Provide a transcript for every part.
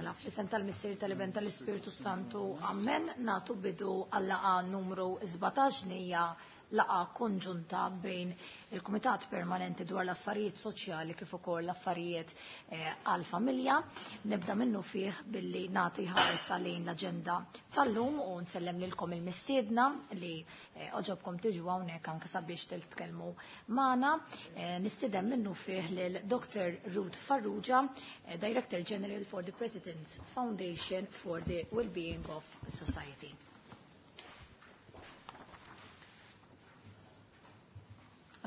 Mela, fl-isem tal-Missier tal-Iben tal-Ispirtu Santu, Amen, natu bidu għal-laqa numru 17 hija laqa konġunta bejn il-Kumitat Permanenti dwar l-Affarijiet Soċjali kif ukoll l-Affarijiet eh, għall-Familja. Nibda minnu fih billi nagħti ħarsa lejn l-aġenda tal-lum u nsellem lilkom il-mistiedna li eh, oġobkom tiġu hawnhekk anke sabiex titkellmu magħna. Eh, nistieden minnu fih lil Dr. Ruth Farrugia, Director General for the President's Foundation for the Wellbeing of Society.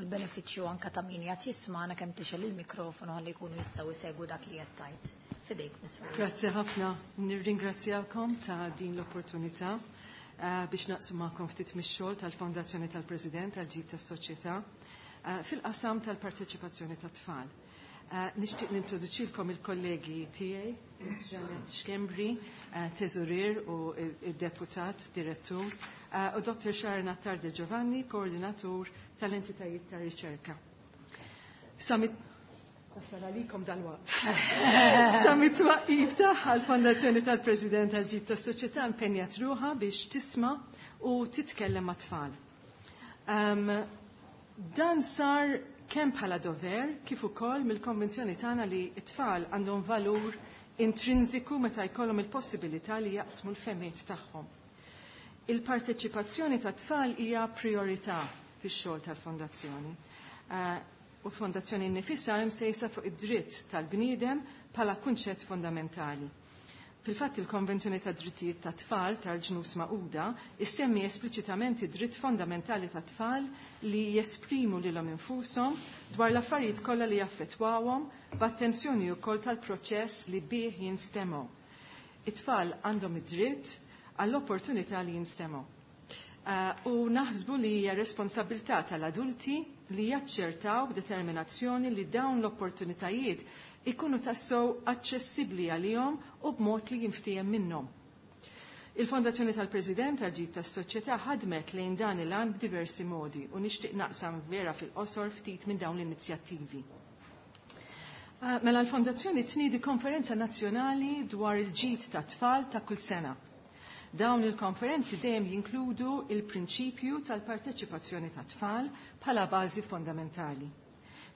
Għal-benefiċċju anka ta' min qed jismana kemm tixel il-mikrofonu ħalli jkunu jistgħu jsegwu dak li qed tgħid. Fidejk, Miss Farrugia. Grazzi ħafna. Nirringrazzjakom ta' din l-opportunità biex naqsu magħkom ftit mix-xogħol tal-Fondazzjoni tal-President tal-Ġid tas-Soċjetà fil-qasam tal-parteċipazzjoni tat-tfal. Nixtieq nintroduċilkom il-kollegi tiegħi, Janet Schembri, teżorier u il-deputat direttur, u Dr. Sharon Attard Giovanni, koordinatur tal-entitajiet ta' riċerka. Samit Tasal għalikom dal-waqt. Sa mit-twaqqif tagħha l-Fondazzjoni tal-President tal-Ġid tas-Soċjetà impenjat ruħha biex tisma' u titkellem mat-tfal. Dan sar kemm bħala dover kif ukoll mill-konvinzjoni tagħna li t-tfal għandhom valur intrinsiku meta jkollhom il-possibilità li jaqsmu l-fehmiet tagħhom. Il-parteċipazzjoni tat-tfal hija priorità fix-xogħol tal-Fondazzjoni. U l-Fondazzjoni nnifisha hemm sejsa fuq id-dritt tal-bniedem bħala kunċett fondamentali. Fil-fatt il-Konvenzjoni tad Drittijiet tat-Tfal tal-Ġnus Magħquda issemmi espliċitament id-dritt fondamentali tat-tfal li jesprimu lilhom infushom dwar l-affarijiet kollha li jaffettwawhom b'attenzjoni wkoll tal-proċess li bih jinstemgħu. It-tfal għandhom id-dritt għall-opportunità li jinstemgħu. U naħsbu li hija responsabilità tal-adulti li jaċċertaw b'determinazzjoni li dawn l-opportunitajiet ikunu tassew aċċessibbli għalihom u b'mod li jinftiehem minnhom. Il-Fondazzjoni tal-President tal-Ġid tas-Soċjetà ħadmet lejn dan il-għan b'diversi modi u nixtieq naqsam vera fil-qosor ftit minn dawn l-inizjattivi. Mela l-Fondazzjoni tniedi konferenza nazzjonali dwar il-ġid tat-tfal ta' kull sena. Dawn il-konferenzi dejjem jinkludu il-prinċipju tal-parteċipazzjoni tat-tfal bħala bażi fondamentali.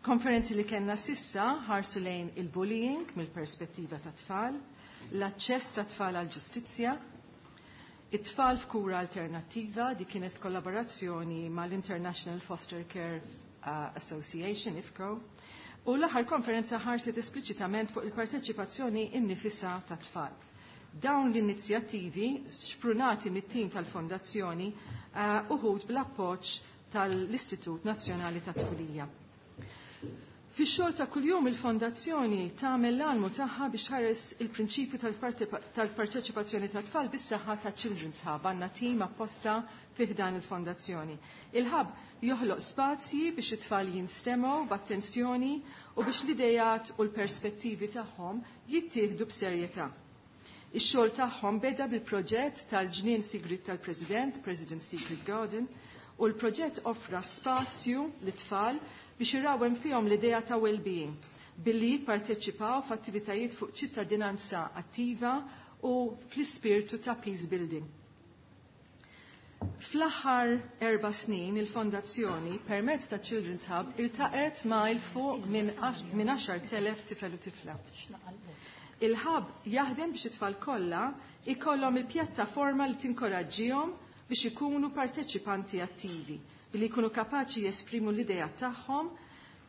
Konferenzi li kellna sissa ħarsu lejn il-bullying mill-perspettiva tat-tfal, l-aċċess tat-tfal għall-ġustizzja, it-tfal f'kura alternattiva, di kienet kollaborazzjoni mal-International Foster Care Association, IFCO, u l-aħħar konferenza ħarset espliċitament fuq il-parteċipazzjoni innifisa tat-tfal. Dawn l-inizjattivi, xprunati mit-tim tal-Fondazzjoni, uħud bl-appoġġ tal-Istitut Nazzjonali tat-Tfulija. Fix-xogħol ta' kuljum il-Fondazzjoni tagħmel l-almu tagħha biex ħares il-prinċipju tal-parteċipazzjoni tat-tfal bis-saħħa ta' Children's Hub, għandna tim apposta fih dan il-fondazzjoni. Il-Hub joħloq spazji biex it-tfal jinstemgħu b'attenzjoni u biex l-idejat u l-perspettivi tagħhom jittieħdu b'serjetà. Ix-xogħol tagħhom beda bil-proġett tal-Ġnien Sigriet tal-President, President Secret Garden, u l-proġett offra spazju lit-tfal biex irawhem fihom l-idea ta' well-being billi jipparteċipaw f'attivitajiet fuq ċittadinanza attiva u fl-ispirtu ta' peace building. Fl-aħħar 4 snin il-Fondazzjoni permezz ta' Children's Hub iltaqet ma' il fuq minn 10,000 tifel u tifla. Il-Hub jaħdem biex it-tfal kollha ikollhom il-pjattaforma li tinkoraġġihom biex ikunu parteċipanti attivi, billi jkunu kapaċi jesprimu l-idea tagħhom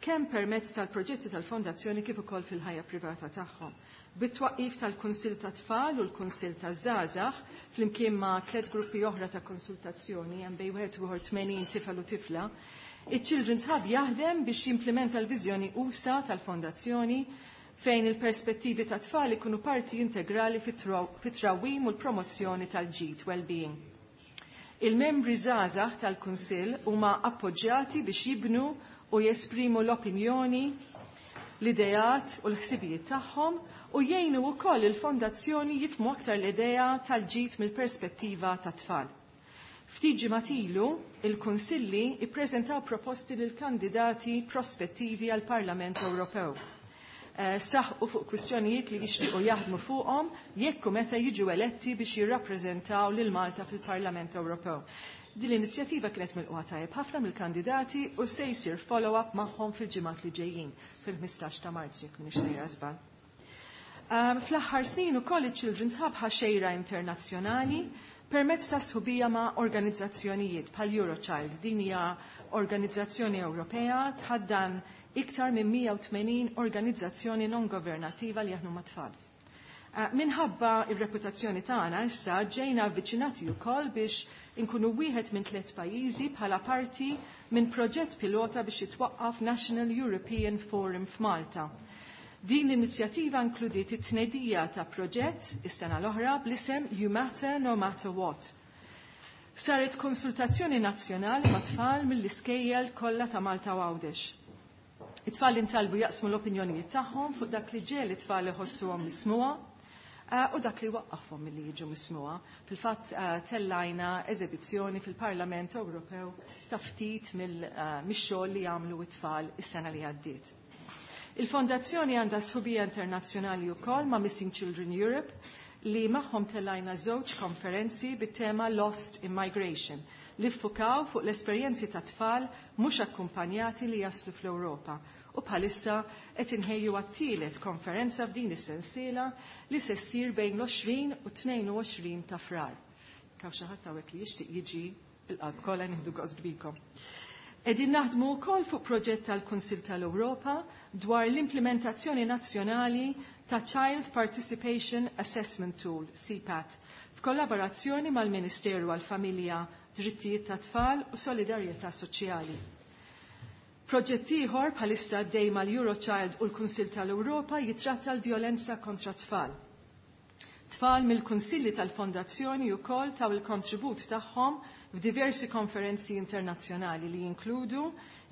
kemm permezz tal-proġetti tal-Fondazzjoni kif ukoll fil-ħajja privata tagħhom. Bit-twaqqif tal-Kunsill tat-Tfal u l-Kunsill taż-Żgħażagħ flimkien ma' 3 gruppi oħra ta' konsultazzjoni hemm bejn wieħed u ieħor 80 tifel u tifla, iċ-Children's Hub jaħdem biex jimplementa l-viżjoni usa tal-Fondazzjoni fejn il-perspettivi ta' tfal ikunu parti integrali fit-trawwim u l-promozzjoni tal-ġid well-being. Il-membri żgħażagħ tal-Kunsill huma appoġġjati biex jibnu u jesprimu l-opinjoni, l-ideat u l-ħsibijiet tagħhom u jgħinu wkoll il-fondazzjoni jifhmu aktar l-idea tal-ġid mill-perspettiva tat-tfal. Ftit ġimgħat ilu, il-Kunsilli ippreżentaw proposti lil kandidati prospettivi għall-Parlament Ewropew. Saħqu fuq kwistjonijiet li jixtiequ jaħdmu fuqhom jekk u meta jiġu eletti biex jirrappreżentaw lil Malta fil-Parlament Ewropew. Din l-inizjattiva kienet milqugħa tajjeb ħafna mill-kandidati u se jsir follow-up magħhom fil-ġimgħat li ġejjin fil-15 ta' Marzu, jekk m'iniex sejra żball. Fl-aħħar snin ukoll iċ-Children's Hub ħa xejra internazzjonali permezz ta' sħubija ma' organizzazzjonijiet bħal Eurochild. Din hija organizzazzjoni Ewropea tħaddan iktar minn 180 organizzazzjoni non governativa li jaħdmu mat-tfal. Minħabba ir-reputazzjoni tagħna issa ġejna avviċinati wkoll biex inkunu wieħed minn tliet pajjiżi bħala parti minn proġett pilota biex jitwaqqaf National European Forum f'Malta. Din l-inizjattiva inkludiet it-tnedija ta' proġett is-sena l-oħra bl-isem You Matter No Matter What. Saret konsultazzjoni nazzjonali ma' tfal mill-iskejjel kollha ta' Malta u Għawdex. It-tfal intalbu jaqsmu l-opinjonijiet tagħhom fuq dak li ġiegħel it-tfal iħossuhom mismugħa u dak li waqqafhom milli jiġu mismugħa. Fil-fatt tellajna eżebizzjoni fil-Parlament Ewropew ta' ftit mix-xogħol li jagħmlu it-tfal is-sena li għaddiet. Il-Fondazzjoni għandha sħubija internazzjonali wkoll ma' Missing Children Europe, li magħhom tellajna żewġ konferenzi bit-tema Lost in Migration, li ffukaw fuq l-esperjenzi ta' tfal mhux akkumpanjati li jaslu fl-Ewropa. U bħalissa qed inħejju għat-tielet konferenza f'din is-sensiela li se ssir bejn l-20 u 22 ta' Frar. Hawn xi ħadd hawnhekk li jixtieq jiġi, bil-qalb kollha nieħdu gost bikom. Qegħdin naħdmu wkoll fuq proġett tal-Kunsil tal-Ewropa dwar l-implementazzjoni nazzjonali ta' Child Participation Assessment Tool, CPAT, f'kollaborazzjoni mal-Ministeru għal-Familja, Drittijiet ta' Tfal u Solidarjetà Soċjali. Proġett ieħor bħalissa għaddej mal-Eurochild u l-Kunsil tal-Ewropa jitratta l-vjolenza kontra tfal. Tfal mill-Kunsilli tal-Fondazzjoni wkoll taw il-kontribut tagħhom f'diversi konferenzi internazzjonali li jinkludu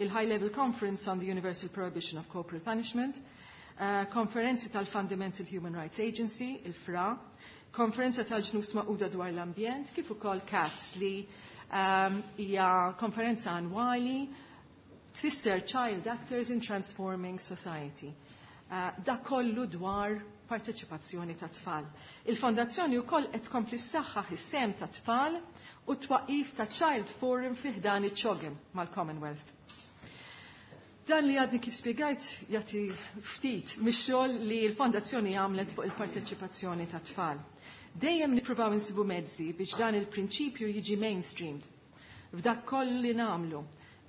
il-High Level Conference on the Universal Prohibition of Corporal Punishment, konferenzi tal-Fundamental Human Rights Agency, il-FRA, konferenza tal-Ġnus Magħquda dwar l-ambjent, kif ukoll CATS, li hija konferenza annwali tfisser Child Actors in Transforming Society. Da kollu dwar parteċipazzjoni ta' tfal. Il-Fondazzjoni wkoll qed tkompli ssaħħaħ is-sehem ta' tfal u twaqif ta' Child Forum fi ħdan iċ-CHOGM mal-Commonwealth. Dan li għadni kif spiegajt jagħti ftit mix-xogħol li l-Fondazzjoni għamlet fuq il-parteċipazzjoni ta' tfal. Dejjem nippruvaw insibu mezzi biex dan il-prinċipju jiġi mainstreamed. F'dak kollu li nagħmlu,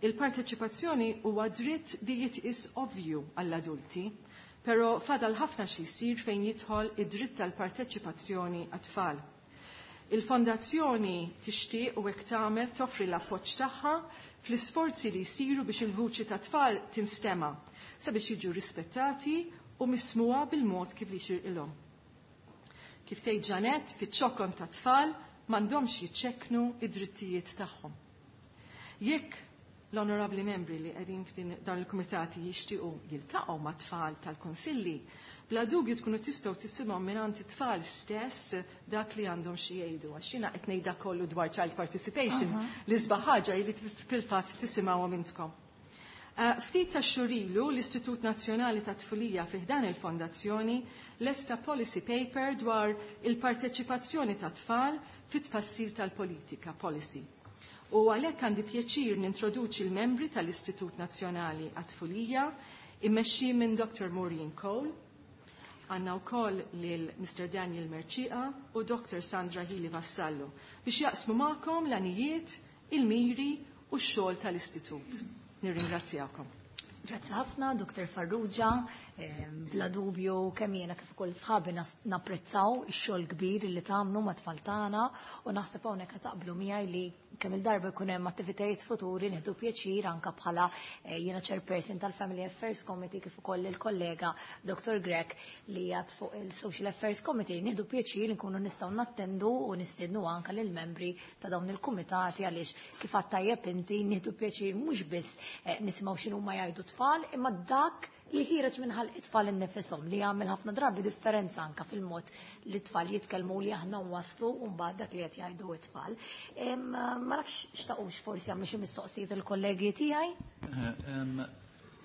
il-parteċipazzjoni huwa dritt li jitqis ovvju għall-adulti, pero fadal ħafna xi jsir fejn jidħol id-dritt tal-parteċipazzjoni għat-tfal. Il-fondazzjoni tixtieq u hekk tagħmel, toffri l-appoġġ tagħha fl-isforzi li jsiru biex il-vuċi ta' tfal tinstema' sabiex jiġu rispettati u mismuha bil-mod kif li jixirqilhom. Kif tgħid Janet, fiċ-ċokon ta' tfal m'għandhomx jiċċekknu id-drittijiet tagħhom. Jekk l-onorabli membri li qegħdin f'din dan il-kumitati jixtiequ jiltaqgħu ma' tfal tal-konsilli, bla dubju tkunu tistgħu tisimgħu mingħand it-tfal stess dak li għandhom xi jgħidu. Għax jiena qed ngħidha kollu dwar child participation, li sbaħ ħaġa li fil-fatt tisimgħuhom intkom. Ftit ta' xhur ilu, l-Istitut Nazzjonali ta' Tfulija fi ħdan il-Fondazzjoni lesta policy paper dwar il-parteċipazzjoni ta' tfal fit-tfassil tal-politika, policy. U għalhekk għandi pjaċir nintroduċi l-membri tal-Istitut Nazzjonali għat-Tfulija immexxi minn Dr. Maureen Cole. Għandna wkoll lil Mr. Daniel Mercieca u Dr. Sandra Hili Vassallo biex jaqsmu magħkom l-għanijiet, il-miri u x-xogħol tal-Istitut. Nirringrazzjakom. Grazzi ħafna, Dr. Farrugia. Bla dubju kemm jiena kif ukoll sħabi napprezzaw ix-xogħol kbir li tagħmlu ma' tfal tagħna u naħseb hawnhekk taqblu miegħi li kemm il-darba jkun hemm attivitajiet futuri nieħdu pjaċir anke bħala jiena chairperson tal-Family Affairs Committee kif ukoll il-kollega Dr. Grech li jgħad fuq il-Social Affairs Committee, nieħdu pjaċir li nkunu nistgħu nattendu u nistiednu anke lill membri ta' dawn il-kumitati, għaliex kif għadt tajjeb inti, nieħdu pjaċir mhux biss nisimgħu x'inhu ma jgħidu tfal, imma dak li ħiereġ minn ħalq it-tfal innifisom, li jagħmel ħafna drabi differenza anka fil-mod li t-tfal jitkellmu, li aħna waslu u mbagħad dak li qed jgħidu t-tfal. Ma nafx xtaqux forsi għamlu xi mistoqsijiet il-kollegi tiegħi.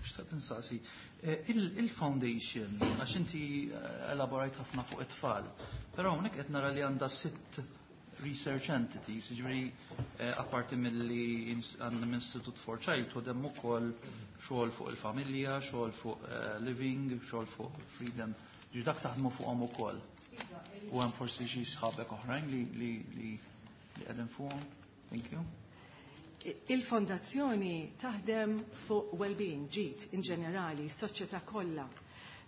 Xtaqt insaqsi, il-foundation, għax inti elaborajt ħafna fuq it-tfal, però hawnhekk qed nara li għandha sitt research entities, ġifieri apparti milli għandna Institute for Childhood hemm ukoll xogħol fuq il-familja, xogħol fuq living, xogħol fuq freedom, ġi dak taħdmu fuqhom ukoll. U hemm forsi xi sħabek oħrajn li qegħdin fuqhom. Thank you. Il-fondazzjoni taħdem fuq well-being, ġid in ġenerali, soċjetà kollha.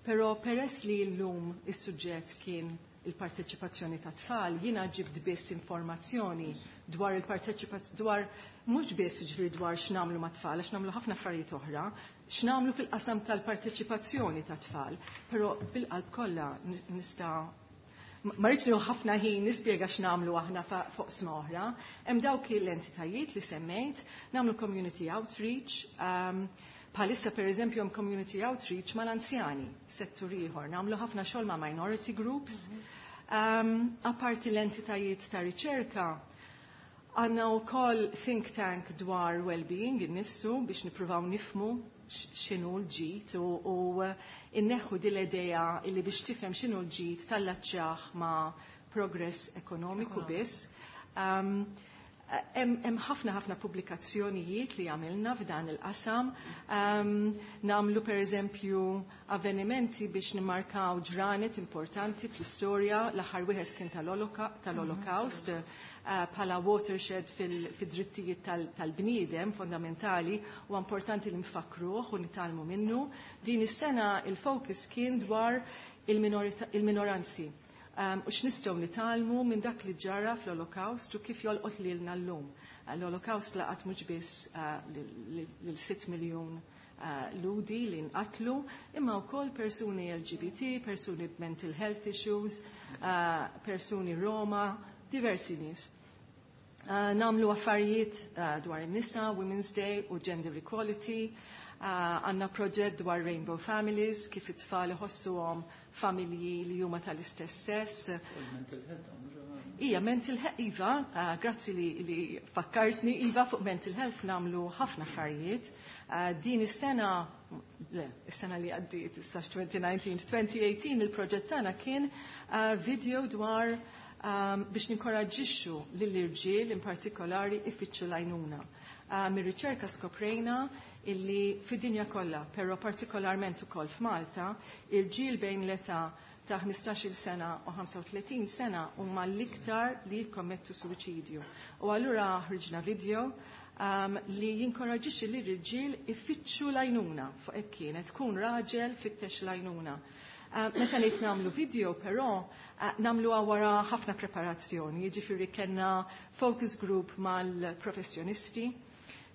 Però peress li llum is-suġġett kien il-parteċipazzjoni ta' tfal, jiena ġibt biss informazzjoni dwar il-parteċipazzjoni, dwar mhux biss ġifieri dwar x'nagħmlu ma' tfal, għax nagħmlu ħafna affarijiet oħra, x'nagħmlu fil-qasam tal-parteċipazzjoni ta' tfal, però bil-qalb kollha nista' ma rridx nieħu ħafna ħin nispjega x'nagħmlu aħna fuq sma oħra. Hemm dawk l-entitajiet li semmejt, nagħmlu community outreach, bħalissa per eżempju hemm community outreach mal-anzjani, settur ieħor, nagħmlu ħafna xogħol ma' minority groups. Apparti l-entitajiet ta' riċerka, għandna wkoll think tank dwar well-being innifsu biex nippruvaw nifmu x'inhu l-ġid u inneħħu din l-idea illi biex tifhem x'inhu l-ġid tallaċċjah ma' progress ekonomiku biss. Hemm ħafna ħafna pubblikazzjonijiet li għamilna f'dan il-qasam. Nagħmlu per eżempju avvenimenti biex nimmarkaw ġranet importanti fl-istorja. L-aħħar wieħed kien tal-Holocaust, bħala watershed fil-drittijiet tal-bniedem fondamentali, u importanti li nfakruh u nitgħallmu minnu. Din is-sena il-focus kien dwar il-minoranzi. U x'nistgħu nitgħallmu minn dak li ġara fl-Holocaust u kif jolqot lilna llum. L-Holocaust laqat mhux biss lil 6 miljun Lhudi li nqatlu, imma wkoll persuni LGBT, persuni b'mental health issues, persuni Roma, diversi nies. Nagħmlu affarijiet dwar in-nisa, Women's Day u Gender Equality. Għandna proġett dwar Rainbow Families, kif it-tfal iħossuhom familji li huma tal-istess sess. Mental health, Ija, mental health, Iva, grazzi li fakkartni, Iva, fuq mental health nagħmlu ħafna affarijiet. Din is-sena, le, is-sena li għaddiet, issa 2019, 2018, il-proġett tagħna kien video dwar biex ninkoraġġixxu lill-irġiel in partikolari ifittxu l-għajnuna. Mir-riċerka skoprejna illi fid-dinja kollha, però partikolarment ukoll f'Malta, irġiel bejn l-età ta' 15-il sena u 35 sena huma l-iktar li jikkommettu suwiċidju. U allura ħriġna video li jinkoraġixxi li l-irġiel ifittxu l-għajnuna fuq hekk kienet tkun raġel fittex l-għajnuna. Meta ngħid nagħmlu video però nagħmluha wara ħafna preparazzjoni, jiġifieri kellna focus group mal-professjonisti,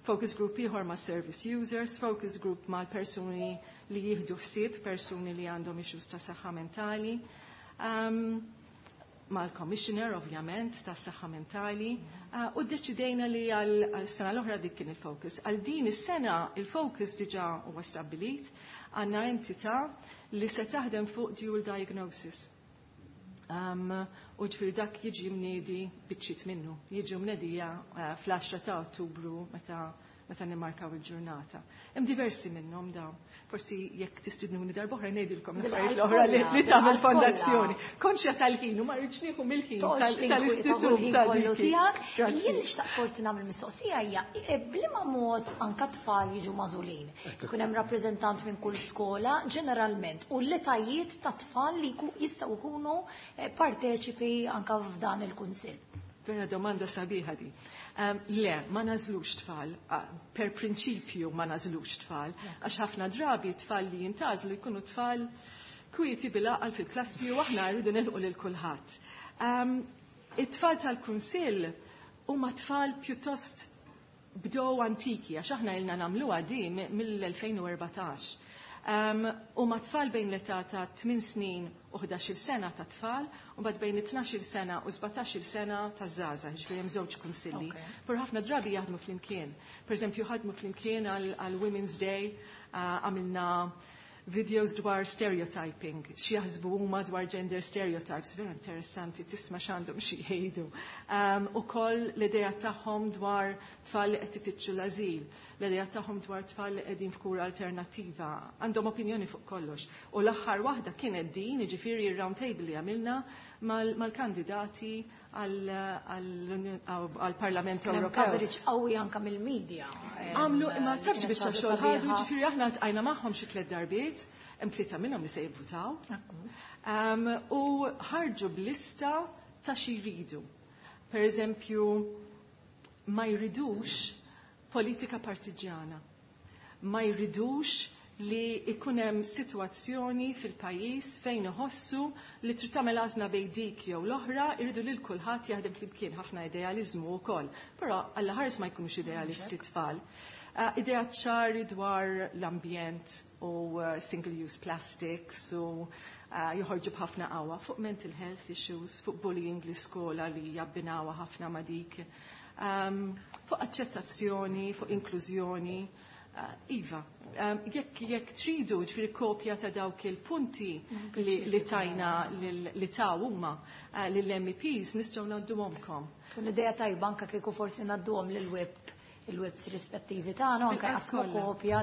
focus group ieħor ma' service users, focus group mal-persuni li jieħdu ħsieb, persuni li għandhom issues ta' saħħa mentali, mal-commissioner ovvjament ta' saħħa mentali, u ddeċidejna li għal sena l-oħra dik kien il-focus. Għal din is-sena il-focus diġà huwa stabbilit, għandna entità li se taħdem fuq dual diagnosis. U ġifieri dak jiġi mniedi biċċiet minnu, jiġi mnedija fl-10 ta' Ottubru meta nimmarkaw il-ġurnata. Hemm diversi minnhom dawn. Forsi jekk tistidnuni darb'oħra ngħidilkom l-affarijiet l-oħra li tagħmel fondazzjoni. Konxja tal-ħin u ma rridx nieħu mill-ħin tal-istitut kollu tiegħek. Jien nixtaq forsi nagħmel mistoqsija hija b'liema mod anke tfal jiġu magħżulin. Ikun hemm rappreżentant minn kull skola ġeneralment u l-etajiet ta' tfal li jistgħu jkunu parteċipi anke f'dan il-kunsill. Vera domanda sabiħa di. Le, ma nażlux tfal, per prinċipju ma nażlux tfal, għax ħafna drabi tfal li jintażlu jkunu tfal kwieti bil-aqal fil-klassi u aħna rridu nilqu lil kulħadd. It-tfal tal-kunsill huma tfal pjuttost bdew antiki, għax aħna ilna nagħmluha di mill-2014. U ma tfal bejn l-età ta' 8 snin u 11-il sena ta' tfal, u mbagħad bejn 12-il sena u 17-il sena ta' żgħażagħ, ġifieri hemm żewġ kunsilli. Però ħafna drabi jaħdmu flimkien. Per eżempju, ħadmu flimkien għal Women's Day, għamilna Videos dwar stereotyping, xi jaħsbu huma dwar gender stereotypes, vera interessanti tisma' x'għandhom xi jgħidu. Ukoll l-idea tagħhom dwar tfal li qed ifittxu l-ażil, l-idea tagħhom dwar tfal li qegħdin f'kura alternattiva, għandhom opinjoni fuq kollox. U l-aħħar waħda kienet din, jiġifieri r-round table li għamilna mal-kandidati għall-Parlament Ewropew. Coverage qawwi anka mill-media. Għamlu, imma tafx biċċa xogħol ħadu, ġifieri aħna tqajna magħhom xi tliet darbiet, hemm tlieta minnhom li se jivvutaw. U ħarġu b'lista ta' xi jridu. Per eżempju, ma jridux politika partiġjana. Ma jridux li ikun hemm sitwazzjoni fil-pajjiż fejn iħossu li trid tagħmel għażla bejn dik jew l-oħra, irridu lil kulħadd jaħdem flimkien, ħafna idealiżmu wkoll. Però alla ħares ma jkunux idealisti tfal. Idea ċari dwar l-ambjent u single-use plastics u joħorġu b'ħafna qawwa fuq mental health issues, fuq bullying l-iskola li jabbinawha ħafna ma' dik, fuq aċċettazzjoni, fuq inklużjoni. Iva, jekk tridu ġifieri kopja ta' dawk il-punti li tajna li taw huma lill-MEPs nistgħu ngħadduhomkom. Tkun idea tajba anke kieku forsi ngħadduhom lill-web il-webs rispettivi tagħna, anke Bil-qas qasmu kollha. kopja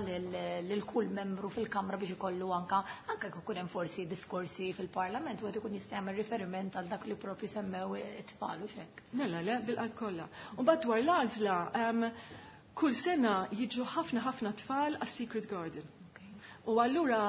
lil kull membru fil-Kamra biex ikollu anke jekk ikun hemm forsi diskorsi fil-Parlament u qed ikun jista' jagħmel riferiment għal dak li propju semmew it-tfal u x'hekk. Mela le, bil-qalb kollha. U mbagħad dwar l-għażla, kull sena jiġu ħafna ħafna tfal għas-Secret Garden. U allura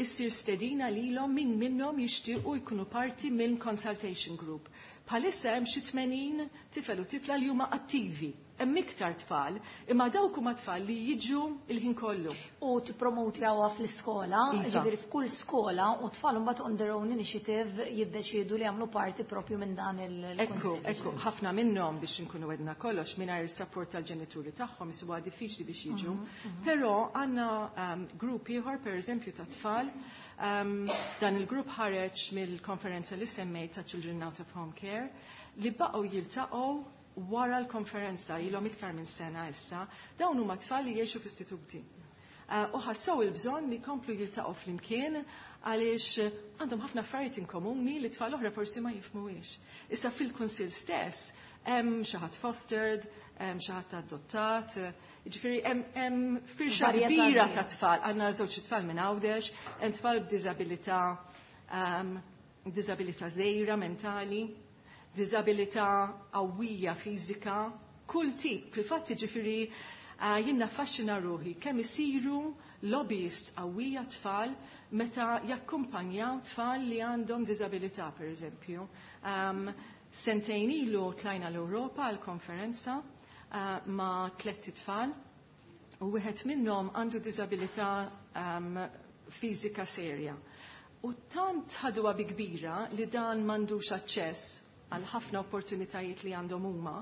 issir stedina lilhom min minnhom jixtiequ jkunu parti minn consultation group. Bħalissa hemm xi 80 tifel u tifla li huma attivi. Hemm iktar tfal, imma dawk huma tfal li jiġu il-ħin kollu. U tippromoti għawha fl-iskola, ġifieri f'kull skola u tfal imbagħad on their own initiative jiddeċiedu li jagħmlu parti propju minn dan il-kunsill. Ekku, ħafna minnhom biex inkunu wedna kollox mingħajr is-support tal-ġenituri tagħhom isibuha diffiċli biex jiġu. Però għandna grupp ieħor pereżempju ta' tfal. Dan il-grupp ħareġ mill-konferenza li semmejt ta' Children Out of Home Care li baqgħu jiltaqgħu wara l-konferenza ilhom iktar minn sena issa, dawn huma tfal li jgħixu f'istituti. U ħassew il-bżonn li jkomplu jiltaqgħu flimkien għaliex għandhom ħafna affarijiet in komuni li tfal oħra forsi ma jifhmuhiex. Issa fil-kunsill stess hemm xi ħadd fostered, hemm xi ħadd adottat, jiġifieri hemm firxa Varjetà kbira kbira. ta' tfal. Għandna żewġ tfal minn Għawdex, hemm tfal b'diżabilità żgħira mentali, diżabilità qawwija fiżika, kull tip. Fil-fatt jiġifieri jien naffaxxina ruħi kemm isiru lobbyists qawwija tfal meta jakkumpanjaw tfal li għandhom diżabilità, per eżempju. Sentejn ilu tlajna l-Ewropa għal konferenza ma' tlett tfal u wieħed minnhom għandu diżabilità fiżika serja. U tant ħaduha bi kbira li dan m'għandux aċċess għal ħafna opportunitajiet li għandhom huma,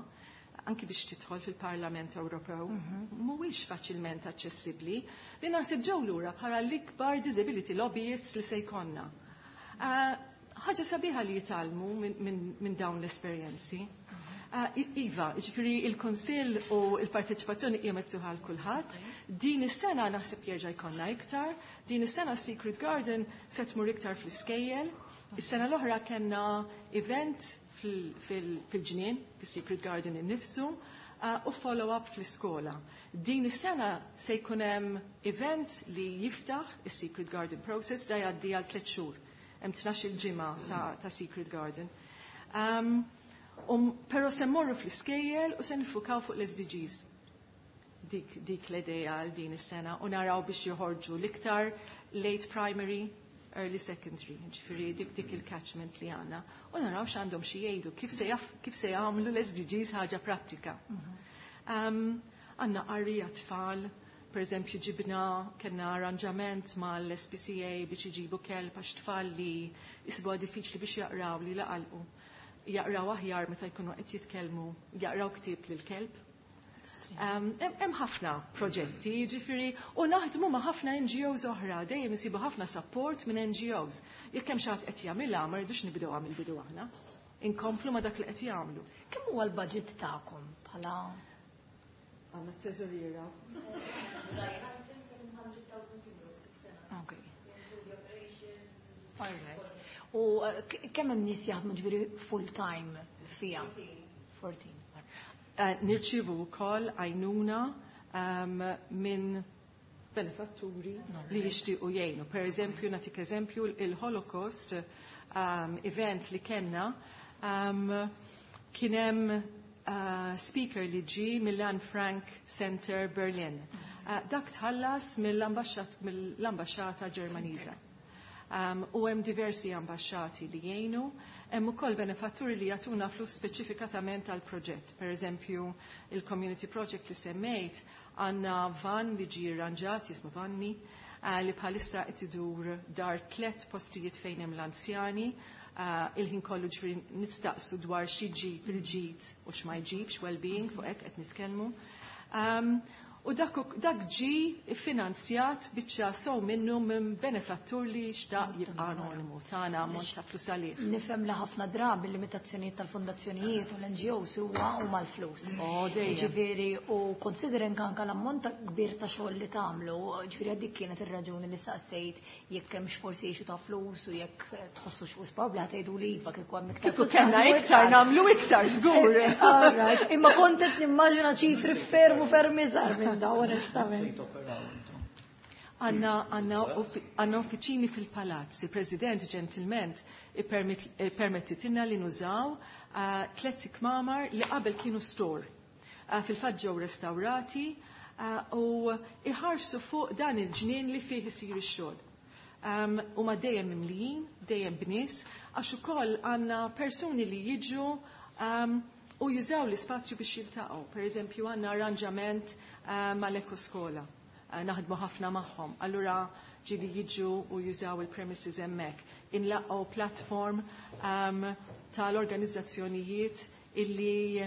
anki biex tidħol fil-Parlament Ewropew, mhuwiex faċilment aċċessibbli, li naħseb ġew lura bħala l-ikbar disability lobbyists li se jkollna. Ħaġa sabiħa li jitgħallmu minn dawn l-esperjenzi. Iva, ġifieri il-Kunsill u l-parteċipazzjoni hija miftuħa għal kulħadd. Din is-sena naħseb jerġa' jkollna iktar. Din is-sena Secret Garden se tmur iktar fl-iskejjel. Is-sena l-oħra kellna event fil-ġnien, fis-Secret Garden innifsu, u follow-up fl-iskola. Din is-sena se jkun hemm event li jiftaħ is-Secret Garden process da jgħaddi għal 3 xhur. Hemm 12-il ġimgħa ta' Secret Garden. Però se mmorru fl-iskejjel u se nifukaw fuq l-SDGs. Dik l-idea għal din is-sena u naraw biex joħorġu l-iktar late primary, early secondary, ġifieri dik il-catchment li għandna. U naraw x'għandhom xi jgħidu, kif se jagħmlu l-SDGs ħaġa prattika. Għandna qari għat-tfal, per eżempju ġibna kellna arranġament mal-SPCA biex iġibu kelb għax tfal li jisibuha diffiċli biex jaqraw li laqalqu. Jaqraw aħjar meta jkunu qed jitkellmu, jaqraw ktieb lil kelb. Hemm ħafna proġetti, ġifieri, u naħdmu ma' ħafna NGOs oħra, dejjem isibu ħafna support minn NGOs. Jekk hemm xi ħadd qed jagħmilha, ma rridux nibdew mill-bidu aħna. Inkomplu ma' dak li qed jagħmlu. Kemm huwa l-budget tagħkom bħala Għandna t-teżoriera. All right. U kemm hemm nies jaħdmu ġifieri full time fiha? 14. Nirċievu wkoll għajnuna minn benefatturi li jixtiequ jgħinu. Per eżempju, nagħtik eżempju, il-Holocaust event li kellna, kien hemm speaker li ġie mill-Anne Frank Center Berlin. Dak tħallas mill-ambaxxata Ġermaniża. U hemm diversi ambaxxati li jgħinu, hemm ukoll benefatturi li jagħtuna flus speċifikatament għal proġett. Per eżempju, il-Community Project li semmejt, għandna van li ġie arranġat, jismu Vanni, li bħalissa qed idur dar 3 postijiet fejn hemm l-anzjani, il-ħin kollu ġifieri nistaqsu dwar xi ġib il-ġid u x'ma jġibx, well-being, fuq hekk qed nitkellmu. U dak ġie finanzjat biċċa sew minnu minn benefattur li xtaq jibqa' anonimu tagħna ammont ta' flus għalih. Nifhem li ħafna drabi l-limitazzjonijiet tal-fondazzjonijiet u l-N G Os huwa huma l-flus. Oh, dejjem. Ġifieri, u considering anke l-ammont ta' kbir ta' xogħol li tagħmlu, ġifieri dik kienet ir-raġuni li saqsejt jekk hemmx forsi issue ta' flus u jekk tħossu x'flus probabbli ħa tgħidu li iva kieku hemm iktar Kieku flus kellna nagħmlu iktar, iktar. nagħmlu iktar, żgur. All right. Imma kont qed nimmaġina ċifri ferm u ferm iżgħar minn dawn, onestament. Għanna uffiċini fil-palazz. Il-President ġentilment permettitilna li nużaw 3 ikmamar li qabel kienu store. Fil-fatt ġew restaurati u iħarsu fuq dan il-ġnien li fih isir ix-xogħol. U ma dejjem mimlijin, dejjem bnies, għax ukoll għandna persuni li jiġu u jużaw l-ispazju biex jiltaqgħu. Per eżempju, għandna arranġament mal-ekoskola. Naħdmu ħafna magħhom. Allura ġieli jiġu u jużaw il-premises hemmhekk. Inlaqgħu platform tal-organizzazzjonijiet illi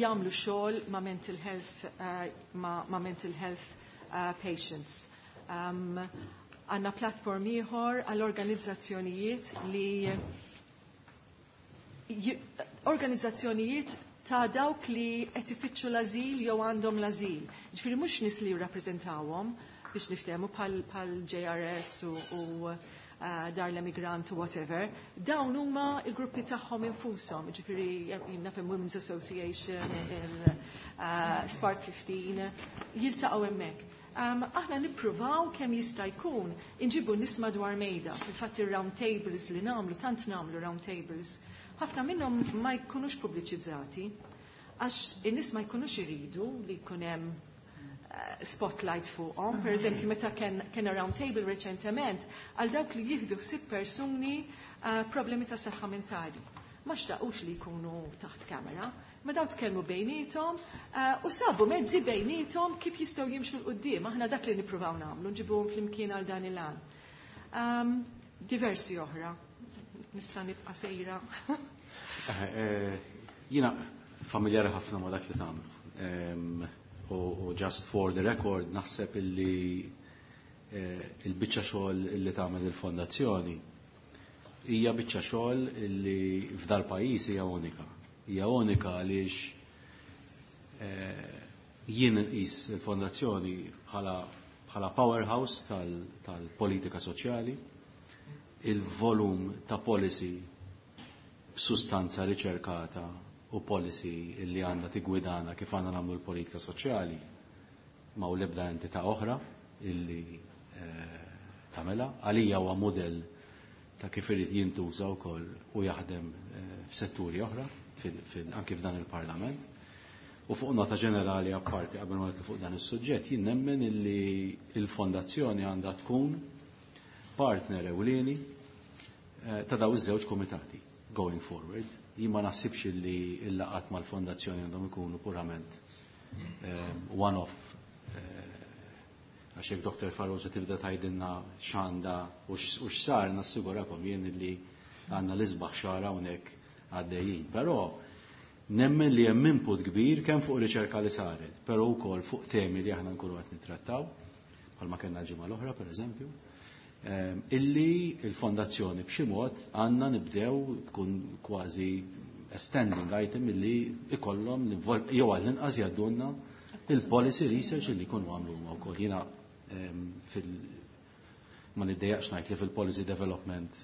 jagħmlu xogħol ma' mental health ma' mental health patients. Għandna platform ieħor għall-organizzazzjonijiet li organizzazzjonijiet ta' dawk li qed ifittxu l-ażil jew għandhom l-ażil. Ġifieri mhux nies li jirrappreżentawhom biex niftehmu bħal JRS u dar l-emigrant u whatever, dawn huma il-gruppi tagħhom infushom, ġifieri jien naf hemm Women's Association, il Spark 15, jiltaqgħu hemmhekk. Aħna nippruvaw kemm jista' jkun inġibu nies madwar mejda. Fil-fatt ir-round tables li nagħmlu, tant nagħmlu round tables, ħafna minnhom ma jkunux pubbliċizzati, għax in-nies ma jkunux iridu li jkun hemm spotlight fuqhom. Per eżempju, meta kien round table reċentement, għal dawk li jieħdu ħsieb persuni problemi ta' saħħa mentali. Ma xtaqux li jkunu taħt kamera, ma daw tkellmu bejniethom u sabu mezzi bejniethom kif jistgħu jimxu 'l quddiem. Aħna dak li nippruvaw nagħmlu, nġibuhom flimkien għal dan il-għan. Diversi oħra. Nista' nibqa' sejra. Jiena familjari ħafna ma' dak li tagħmlu. U just for the record naħseb illi il-biċċa xogħol illi tagħmel il-fondazzjoni hija biċċa xogħol illi f'dal pajjiż hija unika. Hija unika għaliex jien nqis il-fondazzjoni bħala powerhouse tal-politika soċjali, il-volum ta' policy b'sustanza riċerkata u policy illi għandha tigwidana kif għandna nagħmlu l-politika soċjali ma' u l-ebda entità oħra illi tagħmilha. Għalija huwa mudell ta' kif irid jintuża wkoll u jaħdem f'setturi oħra anke f'dan il-Parlament. U fuq nota ġenerali apparti qabel ma nidħlu fuq dan is-suġġett, jien nemmen illi l-fondazzjoni għandha tkun partner ewlieni ta' daw iż-żewġ komitati going forward. Jien ma naħsibx illi l-laqgħat mal-fondazzjoni għandhom ikunu purament one-off għax jekk Doktor Farrugia tibda tgħidilna x'għandha u x'sar, nassigurakom jien illi għandna l-isbaħ xahar hawnhekk għaddejjin. Però nemmen li hemm input kbir kemm fuq riċerka li saret, però wkoll fuq temi li aħna nkunu qed nittrattaw, bħalma kellna l-ġimgħa l-oħra pereżempju, illi l-fondazzjoni b'xi mod għandna nibdew tkun kważi a standing item illi ikollhom jew għall-inqas jgħaddulna il-policy research illi jkunu għamlu huma wkoll. Jiena ma niddejjaqx ngħid li fil-policy development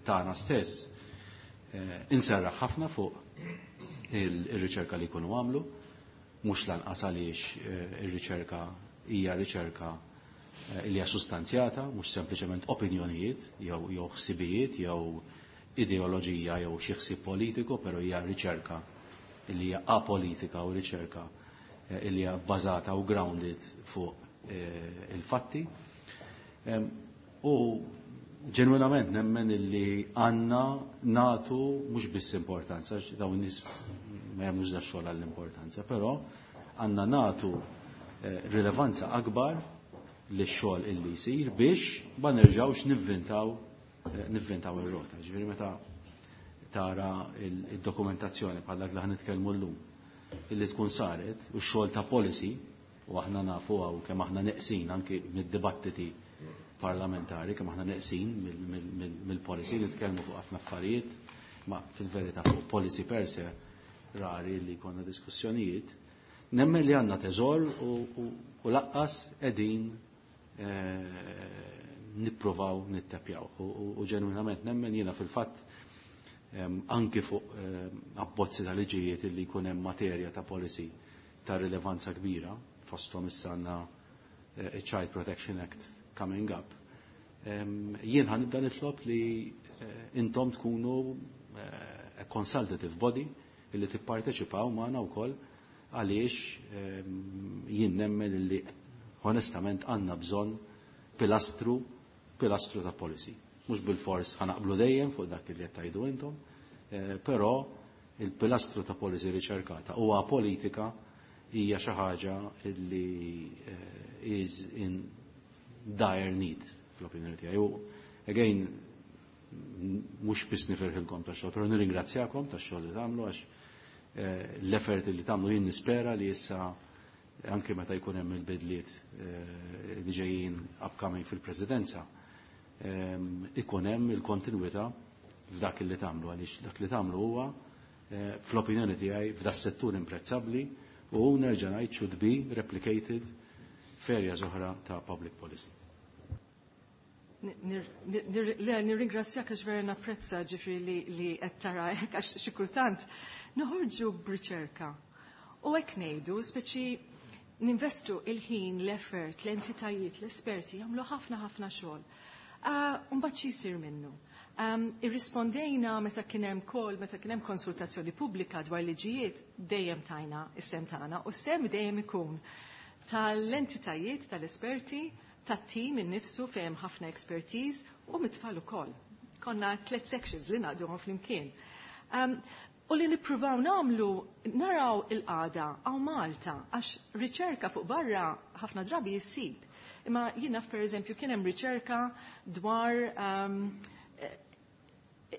tagħna stess inserraħ ħafna fuq ir-riċerka li jkunu għamlu, mhux lanqas għaliex ir-riċerka hija riċerka li hija sustanzjata, mhux sempliċement opinjonijiet jew ħsibijiet jew ideoloġija jew xi ħsieb politiku, però hija riċerka li hija apolitika u riċerka li hija bbażata u grounded fuq il-fatti. U ġenwinament nemmen illi għandna nagħtu mhux biss importanza, għax dawn in-nies ma jagħmlux da xogħol għall-importanza, però għandna nagħtu rilevanza akbar lix-xogħol illi jsir biex ma nerġgħux nivvintaw ir-rota. Ġifieri meta tara il-dokumentazzjoni bħal dak li ħa nitkellmu llum illi tkun saret u x-xogħol ta' policy, u aħna nafu hawn kemm aħna neqsin anki mid-dibattiti parlamentari, kemm aħna neqsin mill-policy, nitkellmu fuq ħafna affarijiet, ma fil-verità fuq policy per se rari li jkollna diskussjonijiet. Nemmen li għandna teżor u lanqas qegħdin nippruvaw nittepjaw. U ġenwinament nemmen jiena fil-fatt anki fuq abbozzi ta' liġijiet li jkun hemm materja ta' policy ta' rilevanza kbira, fosthom issa għandna Child Protection Act coming up. Jien ħa nibda nitlob li intom tkunu a consultative body illi tipparteċipaw magħna wkoll, għaliex jien nemmen illi onestament għandna bżonn pilastru ta' policy. Mhux bil-fors ħa naqblu dejjem fuq dak li qed tgħidu intom, però il-pilastru ta' policy riċerkata huwa politika hija xi ħaġa li is in dire need fl-opinjoni tiegħi. U again, mhux biss nifirħilkom tax-xogħol, però nirringrazzjakom tax-xogħol li tagħmlu, għax l-effort li tagħmlu jien nispera li issa anke meta jkun hemm il-bidliet li ġejjin upcoming fil-presidenza, ikun hemm il-kontinwità f'dak li tagħmlu, għaliex dak li tagħmlu huwa fl-opinjoni tiegħi f'da settur imprezzabbli u nerġa' ngħid should be replicated f'areas oħra ta' public policy. Nirringrazzjak għax vera napprezza ġifieri li qed tara hekk, għax xi kultant noħorġu b'riċerka. U hekk ngħidu, speċi ninvestu il-ħin, l-effort, l-entitajiet, l-esperti jagħmlu ħafna ħafna xogħol. Mbagħad xi jsir minnu? Irrispondejna meta kien hemm call, meta kien hemm konsultazzjoni pubblika dwar liġijiet, dejjem tajna is-sehem tagħna u s-sehem dejjem ikun tal-entitajiet, tal-esperti, tat-tim innifsu fejn ħafna expertise u mit-tfal ukoll. Konna tliet sections li naqduhom flimkien. U li nippruvaw nagħmlu naraw il-qagħda hawn Malta, għax riċerka fuq barra ħafna drabi jissib. Imma jiena per eżempju kien hemm riċerka dwar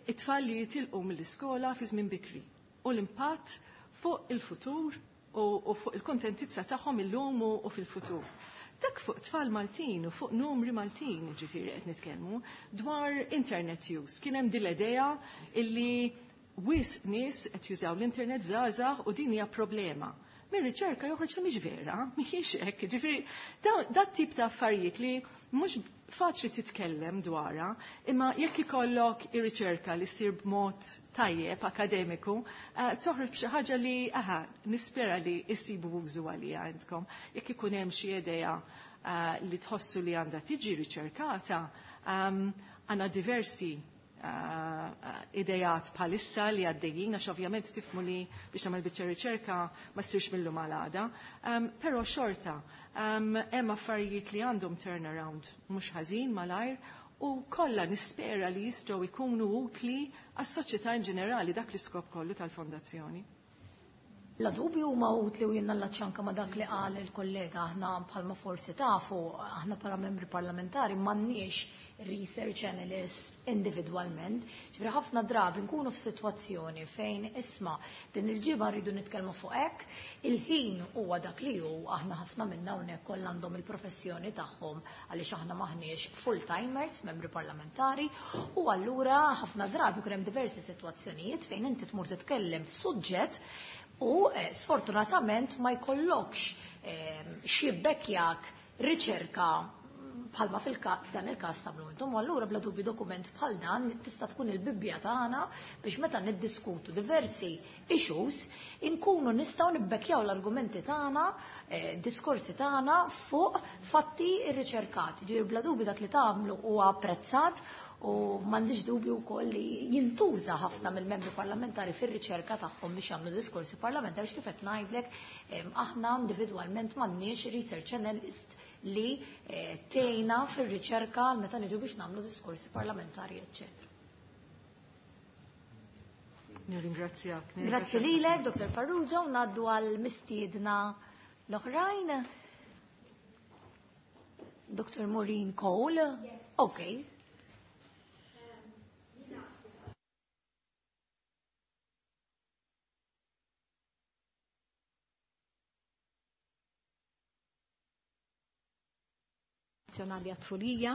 it-tfal li jitilqu mill-iskola fi żmien bikri u l-impatt fuq il-futur u fuq il-kontentizza tagħhom illum u fil-futur. Dak fuq tfal Maltin u fuq numri Maltin, ġifieri qed nitkellmu dwar internet use. Kien hemm din l-idea illi wisq nies qed jużaw l-internet żgħażagħ u din hija problema. Mir riċerka joħroġ li mhix vera, mhijiex hekk. Ġifieri dat tip ta' affarijiet li mhux faċli titkellem dwarha, imma jekk ikollok ir-riċerka li ssir b'mod tajjeb akademiku, toħroġ b'xi ħaġa li aha, nispera li jsibu użu għalija għandkom. Jekk ikun hemm xi idea li tħossu li għandha tiġi riċerkata, għandna diversi idejat bħalissa li għaddejjin, għax ovvjament tifhmu li biex tagħmel biċċa riċerka ma ssirx mill-lum għal għada. Però xorta, hemm affarijiet li għandhom turnaround mhux ħażin malajr u kollha nispera li jistgħu jkunu utli għas-soċjetà in ġenerali, dak l-iskop kollu tal-fondazzjoni. La dubju huma utli u jiena ċanka ma dak li qal il-kollega. Aħna bħalma forsi tafu, aħna bħala membri parlamentari m'għandniex research analyst individwalment. Ġifieri ħafna drabi nkunu f'sitwazzjoni fejn isma' din il-ġimgħa rridu nitkellmu fuq hekk, il-ħin huwa dak li hu, aħna ħafna minna hawnhekk kollha għandhom il-professjoni tagħhom għaliex aħna maħniex full-timers, membri parlamentari, u allura ħafna drabi jkun hemm diversi sitwazzjonijiet fejn inti tmur titkellem f'suġġett u sfortunatament ma jkollokx xi bekkjak riċerka. Bħalma f'dan il-każ tagħmlu intom, u allura bla dubju dokument bħal dan tista' tkun il-Bibbja tagħna biex meta niddiskutu diversi issues inkunu nistgħu nibbekkjaw l-argumenti tagħna, diskorsi tagħna fuq fatti rriċerkati. Ġifieri bla dubju dak li tagħmlu huwa apprezzat u m'għandix dubju wkoll li jintuża ħafna mill-membri parlamentari fir-riċerka tagħhom biex jagħmlu diskorsi parlamentari, kif qed ngħidlek aħna individwalment m'għandniex research analyst li tgħinna fir-riċerka meta niġu biex nagħmlu diskorsi parlamentari, eċċetera. Nirringrazzjak. Grazzi lilek, Dr. Farrugia, u ngħaddu għal mistiedna l-oħrajn. Dr. Maureen Cole. Yes. Okay. Nazzjonali għat-Tfulija.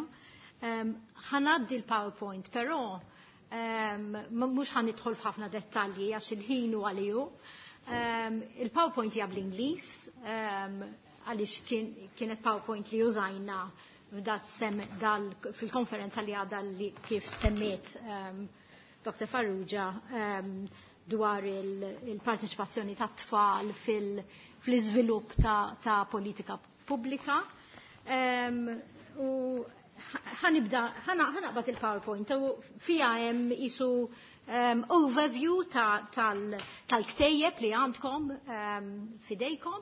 Ħa ngħaddi l-PowerPoint, però mhux ħa nidħol f'ħafna dettalji għax il-ħin u għaliju. Il-PowerPoint hija bl-Ingliż, għaliex kienet PowerPoint li użajna fil-konferenza li għadha li kif semmiet Dr. Farrugia dwar il-parteċipazzjoni ta' tfal fil-iżvilupp ta' politika pubblika. U ħa nibda, ħa naqbad il-PowerPoint, u fija hemm isu overview tal-ktejjeb li għandkom fidejkom,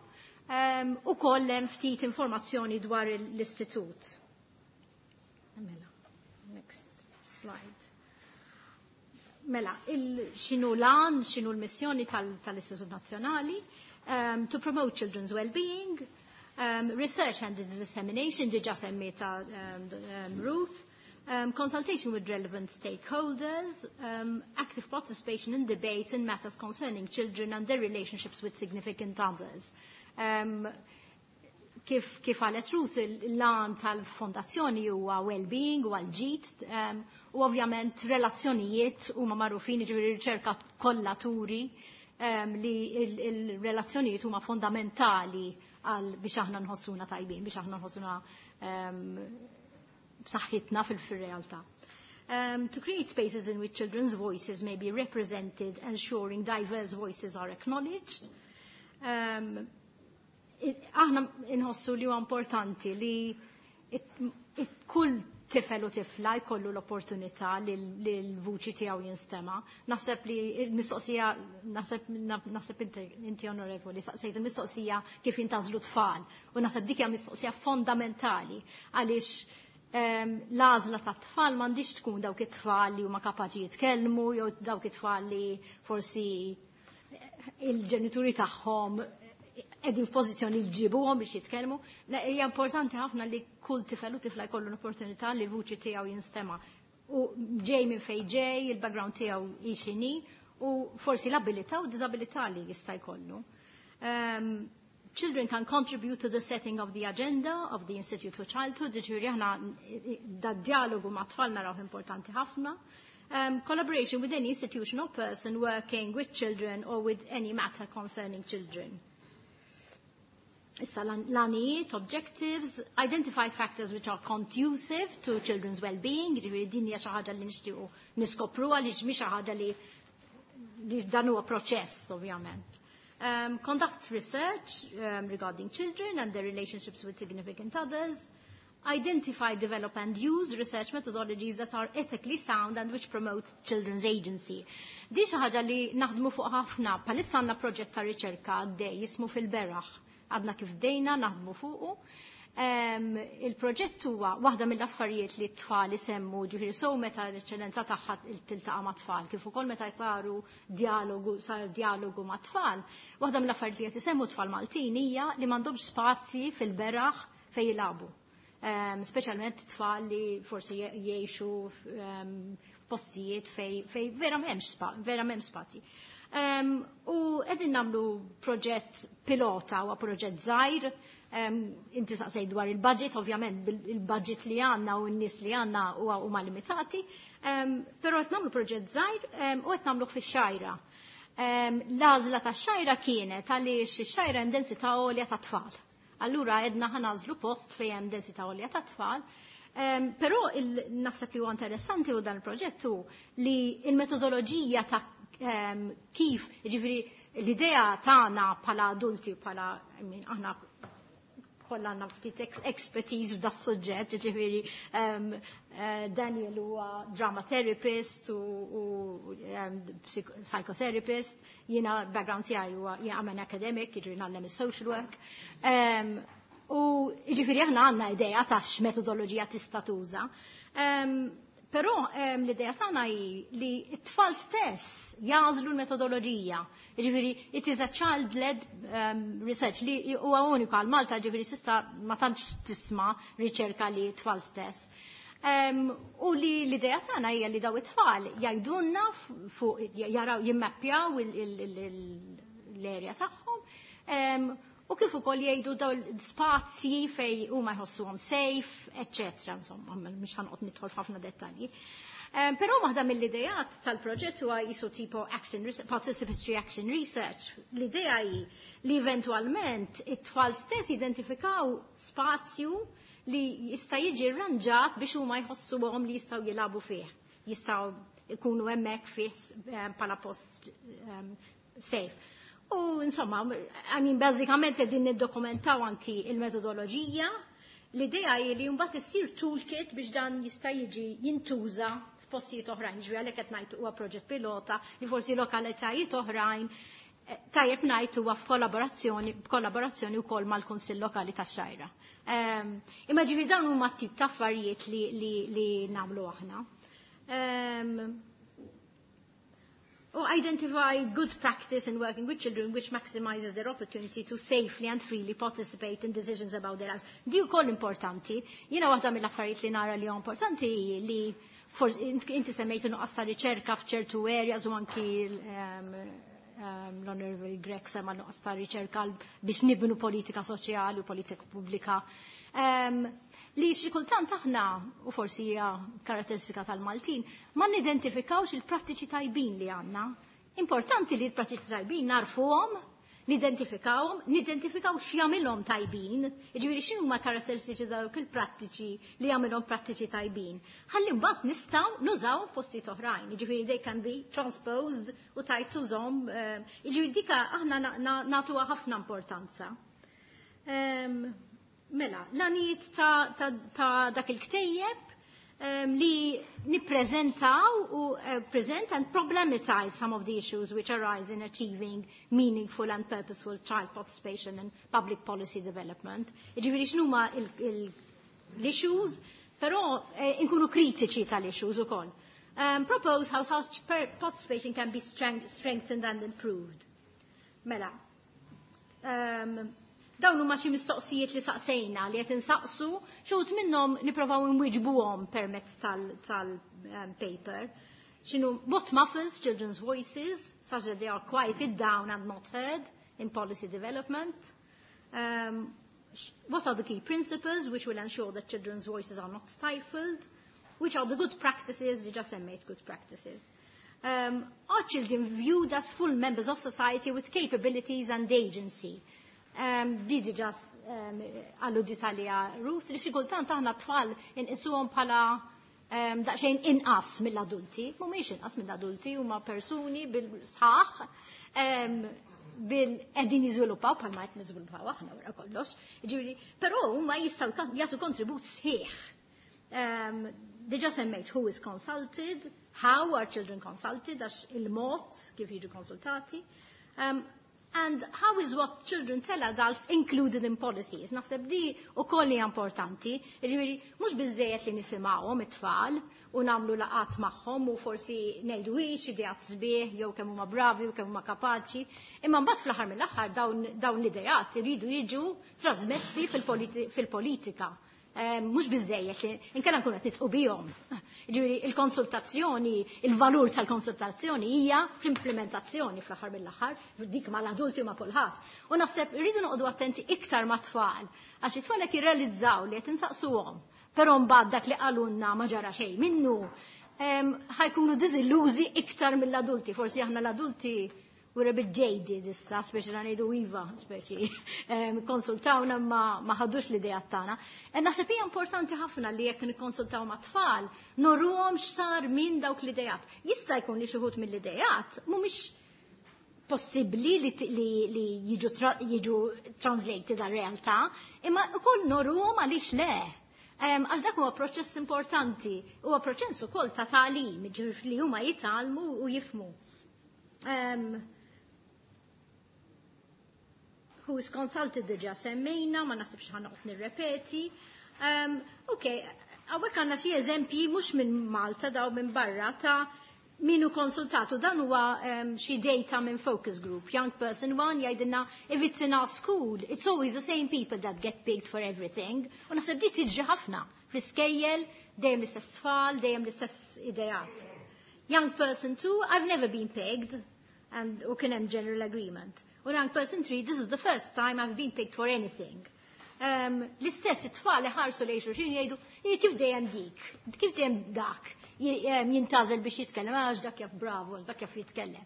u koll hemm ftit informazzjoni dwar l-istitut. Mela, next slide. Mela, x'inhu l-għan, x'inhu l-missjoni tal-Istitut Nazzjonali, to promote children's well-being, research and dissemination, diġà semmietha Ruth, consultation with relevant stakeholders, active participation in debates in matters concerning children and their relationships with significant others. Kif qalet Ruth, l-għan tal-fondazzjoni huwa well-being, huwa l-ġid, u ovvjament relazzjonijiet huma magħrufin, ġifieri riċerka kollha turi li il-relazzjonijiet huma fondamentali għal biex aħna nħossuna tajbin, biex aħna nħossuna b'saħħitna fil-realtà. To create spaces in which children's voices may be represented, ensuring diverse voices are acknowledged. Aħna inħossu li huwa importanti li kull tifel u tifla jkollu l-opportunità li l-vuċi tiegħu jinstema. Naħseb li l-mistoqsija, naħseb inti onorevoli, saqsejt il-mistoqsija kif jintgħażlu tfal. U naħseb dik hija mistoqsija fondamentali għaliex l-għażla ta' tfal m'għandix tkun dawk it-tfal li huma kapaċi jitkellmu jew dawk it-tfal li forsi il-ġenituri tagħhom qegħdin f'pożizzjoni li jġibuhom biex jitkellmu. Hija importanti ħafna li kull tifel u tifla jkollu l-opportunità li l-vuċi tiegħu jinstema'. U ġej minn fejn ġej, il-background tiegħu hi x'inhi, u forsi l-abilità u disabilità li jista' jkollu. Children can contribute to the setting of the agenda of the Institute for Childhood, ġifieri aħna da dialogu ma' tfal naraw importanti ħafna. Collaboration with any institution or person working with children or with any matter concerning children. Issa l-għanijiet, objectives, identify factors which are conducive to children's well-being, ġifieri din hija xi ħaġa li nixtiequ niskopru għaliex mhix xi ħaġa li dan huwa proċess ovvjament. Conduct research regarding children and their relationships with significant others. Identify, develop and use research methodologies that are ethically sound and which promote children's agency. Di xi ħaġa li naħdmu fuq ħafna, bħalissa għandna proġett ta' riċerka għaddej jismu fil-beraħ. Għadna kif bdejna naħdmu fuqu. Il-proġett huwa waħda mill-affarijiet li t-tfal isemmu, ġifieri so meta l-eċċellenza tagħha tiltaqa' ma' tfal, kif ukoll meta saru dialogu, sar dialogu ma' tfal, waħda mill-affarijiet li qed isemmu tfal Maltin hija li m'għandhomx spazji fil-beraħ fejn jilagħbu. Speċjalment tfal li forsi jgħixu f'postijiet fej vera m'hemmx vera m'hemm spazji. U qegħdin nagħmlu proġett pilota u proġett żgħir. Inti saqsej dwar il-budget, ovvjament il-budget li għandna u n-nies li għandna huma limitati, però qed nagħmlu proġett żgħir u qed nagħmluh fix-Xgħajra. L-għażla tax-Xgħajra kienet għaliex ix-Xgħajra hemm densità għolja ta' tfal. Allura għedna ħa nagħżlu post fejn hemm densità għolja ta' tfal. Però naħseb li huwa interessanti u dan il-proġett hu li il-metodoloġija ta' kif, ġifieri l-idea tagħna bħala adulti, bħala, I mean, aħna kollha għandna ftit expertise f'da suġġett, ġifieri Daniel huwa drama therapist u psychotherapist, jiena background tiegħi huwa jiena I'm an academic, jiġifieri ngħallem is-social work. U jiġifieri aħna għandna idea ta' x'metodoloġija tista' tuża. Però l-idea tagħna hi li t-tfal stess jagħżlu l-metodoloġija. Jiġifieri it is a child-led research li huwa uniku għal Malta, jiġifieri s'issa ma tantx tisma' riċerka li t-tfal stess. U li l-idea tagħna hija li daw it-tfal jgħidulna fuq jaraw jimmappjaw l-area tagħhom u kif ukoll jgħidu daw spazji fej huma jħossuhom safe, eccetera, insomma, mhux ħa noqgħod nidħol f'ħafna dettalji. Però waħda mill-idejat tal-proġett huwa jisu tipo action participatory action research. L-idea hi li eventualment it-tfal stess identifikaw spazju li jista' jiġi rranġat biex huma jħossuhom li jistgħu jilagħbu fih. Jistgħu jkunu hemmhekk fih bħala post safe. U insomma, I mean, bażikament qegħdin niddokumentaw anki il-metodoloġija. L-idea hi li mbagħad issir toolkit biex dan jista' jiġi jintuża f'postijiet oħrajn. Ġifieri għalhekk qed ngħid huwa proġett pilota li forsi lokalitajiet oħrajn tajjeb ngħid huwa f'kollaborazzjoni wkoll mal-Kunsill Lokali tax-Xgħajra. Imma ġifieri dawn huma tip ta' affarijiet li nagħmlu aħna. U identify good practice in working with children which maximizes their opportunity to safely and freely participate in decisions about their lives. Di wkoll importanti. Jiena waħda mill-affarijiet li nara li huwa importanti li forsi inti semmejt nuqqas ta' riċerka f'ċertu areas u anki l-Honorable Grech sema nuqqas ta' riċerka biex nibnu politika soċjali u politika pubblika. Li xi kultant aħna, u forsi hija karatteristika tal-Maltin, ma nidentifikawx il-prattiċi tajbin li għandna. Importanti li l-prattiċi tajbin narfuhom, nidentifikawhom, nidentifikaw x'jagħmilhom tajbin, jiġifieri x'inhuma karatteristiċi dawk il-prattiċi li jagħmilhom prattiċi tajbin. Ħalli mbagħad nistgħu nużaw postijiet oħrajn, jiġifieri they can be transposed u tajt tużhom, jiġifieri dika aħna nagħtuha ħafna importanza. Mela, l-għanijiet ta' dak il-ktejjeb li nippreżentaw u present and problematize some of the issues which arise in achieving meaningful and purposeful child participation and public policy development. Ġifieri x'numa l-issues, però inkunu kritiċi tal-issues ukoll. Propose how such participation can be strengthened and improved. Mela, dawn huma xi mistoqsijiet li saqsejna li qed insaqsu, xi wħud minnhom nipprovaw inwiġbuhom permezz tal-paper. X'inhu what muffles children's voices such that they are quieted down and not heard in policy development? What are the key principles which will ensure that children's voices are not stifled? Which are the good practices? Diġà semmejt good practices. Are children viewed as full members of society with capabilities and agency? Di diġà alludit għalija Ruth, li xi kultant aħna tfal inqisuhom bħala daqsxejn inqas mill-adulti, mhumiex inqas mill-adulti, huma persuni bil-sħaħ, bil qegħdin jiżviluppaw bħalma qed niżviluppaw aħna wara kollox. Ġifieri, però huma jistgħu jagħtu kontribut sħiħ. Diġà semmejt who is consulted, how are children consulted, għax il-mod kif jiġu konsultati. And how is what children tell adults included in policies? Naħseb di ukoll hija importanti. Ġifieri, mhux biżejjed li nisimgħuhom it-tfal u nagħmlu laqat magħhom u forsi ngħidu hix ideat sbieħ jew kemm huma bravi u kemm huma kapaċi. Imma mbagħad fl-aħħar mill-aħħar dawn l-ideat iridu jiġu trasmessi fil-politika. Mhux biżejjed li inkella nkunu qed nidħqu bihom. Ġifieri il-konsultazzjoni, il-valur tal-konsultazzjoni hija fl-implementazzjoni fl-aħħar mill-aħħar, dik mal-adulti u ma' kulħadd. U naħseb irridu noqogħdu attenti iktar mat-tfal, għax it-tfal qed jirrealizzaw li qed insaqsuhom. Però mbagħad dak li qalulna ma ġara xejn minnu, ħa jkunu diżillużi iktar mill-adulti. Forsi aħna l-adulti We're a bit jaded issa, speċi la ngħidu iva, speċi konsultawna ma ħadux l-idea tagħna. E naħseb hija importanti ħafna li jekk nikkonsultaw ma' tfal, nurruhom x'sar minn dawk l-idejat. Jista' jkun li xi wħud mill-idejat mhumiex possibbli li jiġu translated għal realtà, imma ukoll nurruhom għaliex le. Għax dak huwa proċess importanti, huwa proċess ukoll ta' tagħlim, ġifieri li huma jitgħallmu u jifhmu. Who is consulted diġà semmejna, ma naħsibx ħa noqgħod nirrepeti. Ok, hawnhekk għandna xi eżempji mhux minn Malta daw minn barra ta' min hu konsultatu. Dan huwa xi data minn focus group. Young person one jgħidilna, "If it's in our school, it's always the same people that get picked for everything." U naħseb di tiġri ħafna fl-iskejjel, dejjem l-istess tfal, dejjem l-istess ideat. Young person two, "I've never been picked," and u kien hemm general agreement. U young person three, "This is the first time I've been picked for anything." L-istess it-tfal ħarsu lejn xulxin jgħidu, "Kif dejjem dik, kif dejjem dak jintgħażel biex jitkellem, għax dak jaf bravo, għax dak jaf jitkellem."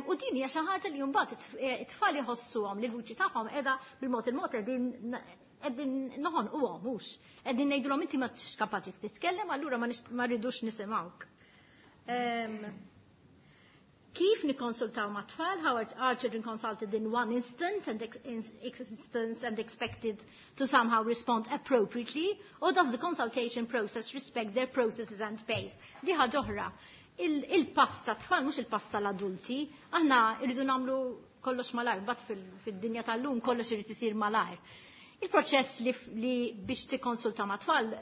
U din hija xi ħaġa li mbagħad it-tfal iħossuhom li l-vuċi tagħhom qiegħda bil-mod il-mod qegħdin noħonquhom mhux. Qegħdin ngħidulhom inti ma tix kapaċi titkellem, allura ma rridux nisimgħuk. Kif nikkonsultaw ma' tfal, how are children consulted in one instant and instance and expected to somehow respond appropriately, or does the consultation process respect their processes and pace? Di ħaġa oħra. Il-pass tat-tfal mhux il-pass tal-adulti, aħna irridu nagħmlu kollox malajr, but fid-dinja tal-lum kollox irid isir malajr. Il-proċess li biex tikkonsulta ma' tfal,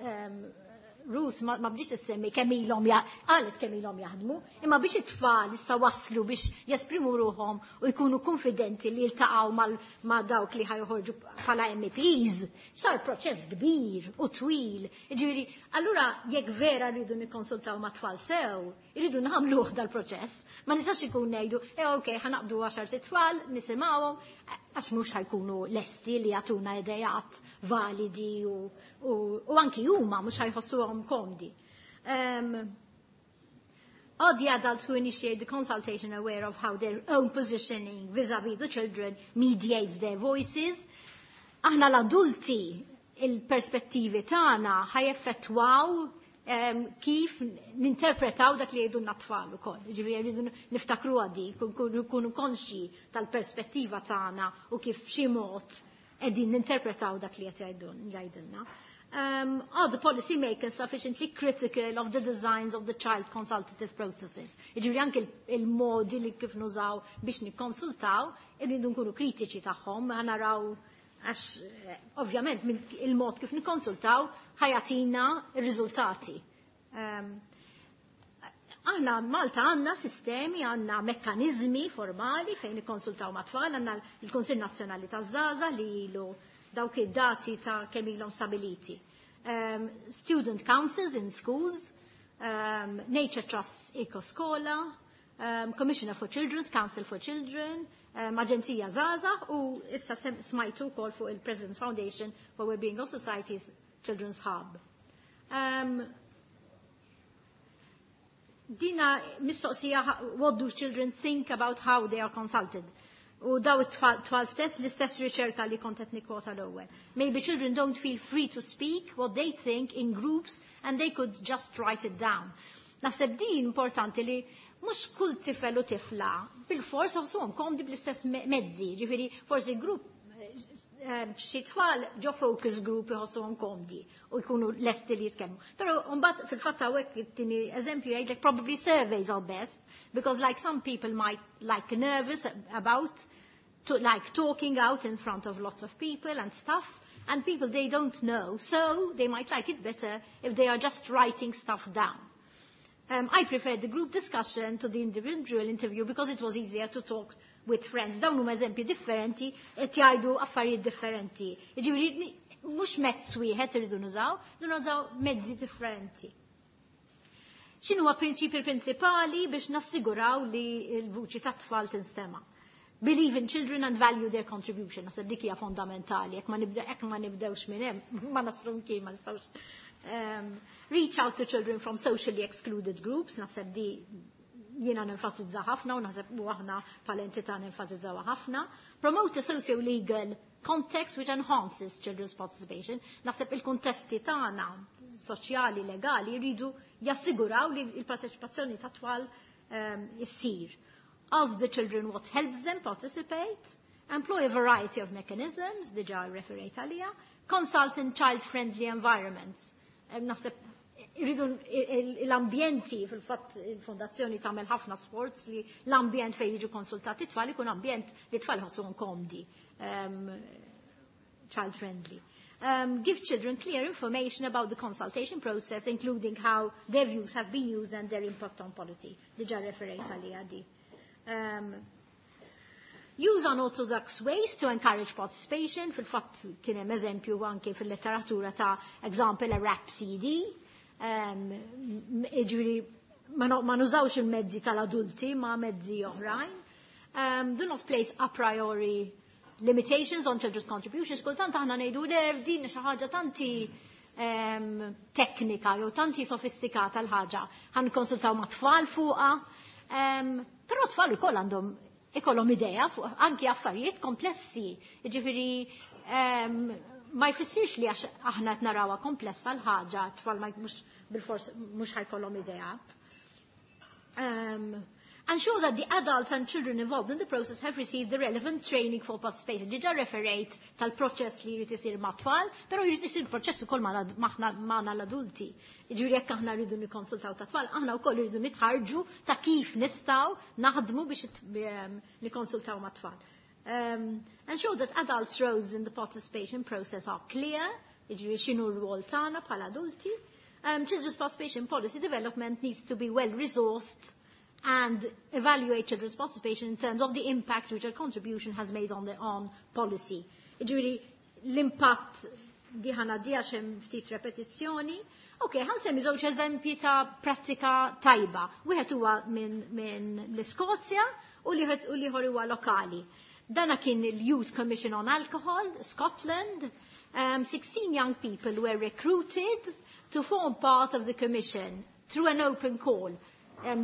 Ruth ma bdietx issemmi kemm ilhom, qalet kemm ilhom jaħdmu, imma biex it-tfal issa waslu biex jesprimu ruħhom u jkunu konfidenti li jiltaqgħu ma' dawk li ħa joħorġu bħala MEPs, sar proċess kbir u twil. Ġifieri, allura jekk vera rridu nikkonsultaw ma' tfal sew, irridu nagħmluh dal-proċess. Ma nistax ikun ngħidu, eh ok, ħa naqbdu 10 tfal, nisimgħuhom, għax mhux ħa jkunu lesti li jagħtuna idejat validi u anki huma mhux ħa jħossuhom komdi. Are the adults who initiate the consultation aware of how their own positioning vis-a-vis the children mediates their voices? Aħna l-adulti, il-perspettivi tagħna ħa jeffettwaw kif ninterpretaw dak li jgħidu t-tfal ukoll. Ġifieri rridu niftakru għadi, nkunu konxji tal-perspettiva tagħna u kif xi mod qegħdin ninterpretaw dak li qed jgħidulna. Are the policy makers sufficiently critical of the designs of the child consultative processes? Ġifieri anke il-modi li kif nużaw biex nikkonsultaw, irridu nkunu kritiċi tagħhom, ħa naraw għax ovvjament il-mod kif nikkonsultaw ħa jagħtina r-riżultati. Aħna Malta għandna sistemi, għandna mekkanizmi formali fejn nikkonsultaw ma' tfal, għandna l-Kunsill Nazzjonali taż-Żgħażagħ li ilu dawk id-dati ta' kemm ilhom stabiliti. Student councils in schools, Nature Trust Eco Skola, Commissioner for Children's, Council for Children, Aġenzija Żgħażagħ u issa smajtu wkoll fuq il-President's Foundation for Wellbeing of Society's Children's Hub. Dina mistoqsija, what do children think about how they are consulted? U daw it-tfal stess, l-istess riċerka li kont qed nikkwota l-ewwel. Maybe children don't feel free to speak what they think in groups and they could just write it down. Naħseb din importanti li mhux kull tifel u tifla bil-fors iħossuhom komdi bl-istess mezzi, ġifieri forsi grupp xi tfal ġo focus group iħossuhom komdi u jkunu lesti li jitkellmu. Però mbagħad fil-fatt hawnhekk it-tieni eżempju jgħidlek probably surveys are best because, like, some people might like nervous about to, like, talking out in front of lots of people and stuff, and people they don't know, so they might like it better if they are just writing stuff down. I prefer the group discussion to the individual interview because it was easier to talk with friends. Dawn huma eżempji differenti qed jgħidu affarijiet differenti. Jiġifieri mhux mezz wieħed irridu nużaw, irridu nużaw mezzi differenti. X'inhu prinċipji prinċipali biex nassiguraw li l-vuċi tat-tfal tinstema'? Believe in children and value their contribution. Naħseb dik hija fondamentali. Jekk ma nibdewx minn hemm, ma naslu mkien, ma nistgħux. Reach out to children from socially excluded groups, naħseb di Jiena nenfasizza ħafna u naħseb u aħna bħala nenfasizzaw ħafna. Promote a socio-legal context which enhances children's participation. Naħseb il-kontesti tagħna soċjali, legali, jridu jassiguraw li il-parteċipazzjoni ta' tfal issir. Ask the children what helps them participate. Employ a variety of mechanisms, diġà referejt għalija. Consult in child-friendly environments. Naħseb irridu l-ambjenti, fil-fatt il-fondazzjoni tagħmel ħafna sforz li l-ambjent fejn jiġu konsultati tfal ikun ambjent li tfal ħossuhom komdi, child friendly. Give children clear information about the consultation process, including how their views have been used and their impact on policy. Diġà referejt għalija di. Use unorthodox ways to encourage participation. Fil-fatt kien hemm eżempju anke fil-letteratura ta' example a rap CD. Ġifieri ma nużawx il-mezzi tal-adulti ma mezzi oħrajn. Do not place a priori limitations on children's contributions. Kultant aħna ngħidu le, din xi ħaġa tanti teknika jew tanti sofistikata l-ħaġa. Ħa nikkonsultaw ma' tfal fuqha. Però tfal ukoll għandhom ikollhom idea fuq anki affarijiet komplessi. Ġifieri ma jfissirx li għax aħna qed narawha komplessa l-ħaġa, tfal ma mhux bilfors mhux ħa jkollhom idea. Ensure that the adults and children involved in the process have received the relevant training for participation. Diġà referejt tal-proċess li jrid isir mat-tfal, però jrid isir proċess ukoll magħna l-adulti. Ġifieri jekk aħna rridu nikkonsultaw ta' tfal, aħna wkoll rridu nitħarġu ta' kif nistgħu naħdmu biex nikkonsultaw mat-tfal. Ensure that adults' roles in the participation process are clear, ġifieri x'inhu r-rwol tagħna bħala adulti. Children's participation policy development needs to be well resourced and evaluate children's participation in terms of the impact which their contribution has made on policy. Ġifieri, l-impatt di ħana di għax hemm ftit repetizzjoni. Ok, ħa nsemmi żewġ eżempji ta' prattika tajba. Wieħed huwa minn l-Iskozja u l-ieħor huwa lokali. Dana kien il-Youth Commission on Alcohol, Scotland. 16 young people were recruited to form part of the commission through an open call.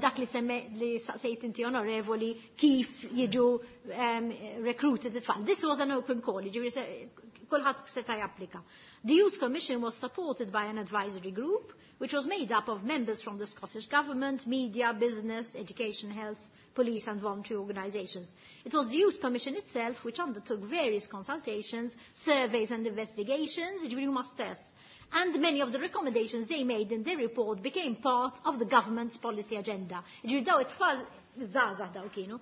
Dak li semme li saqsejt inti, onorevoli, kif jiġu recruited it-tfal. This was an open call, ġifieri kulħadd seta' japplika. The Youth Commission was supported by an advisory group which was made up of members from the Scottish Government, media, business, education, health, police and voluntary organisations. It was the Youth Commission itself which undertook various consultations, surveys and investigations, ġifieri huma stess. And many of the recommendations they made in their report became part of the government's policy agenda. Ġifieri daw it-tfal, żgħażagħ daw kienu,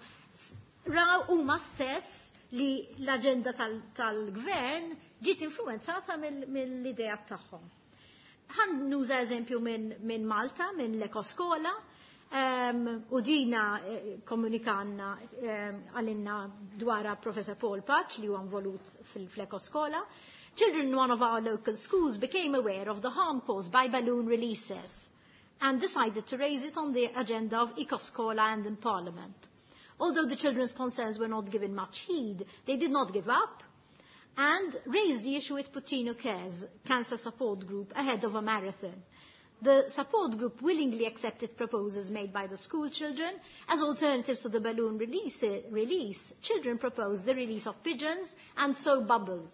raw huma stess li l-agenda tal-gvern ġiet influenzata mill-idea tagħhom. Ħa nuża eżempju minn Malta, minn l-Ekoskola, u dina komunikanna għalinna dwara Professor Paul Patch li huwa involut fil-Ekoskola. Children in one of our local schools became aware of the harm caused by balloon releases and decided to raise it on the agenda of Ecoskola and in Parliament. Although the children's concerns were not given much heed, they did not give up and raised the issue with Puttinu Cares Cancer Support Group ahead of a marathon. The support group willingly accepted proposals made by the school children. As alternatives to the balloon release, children proposed the release of pigeons and soap bubbles.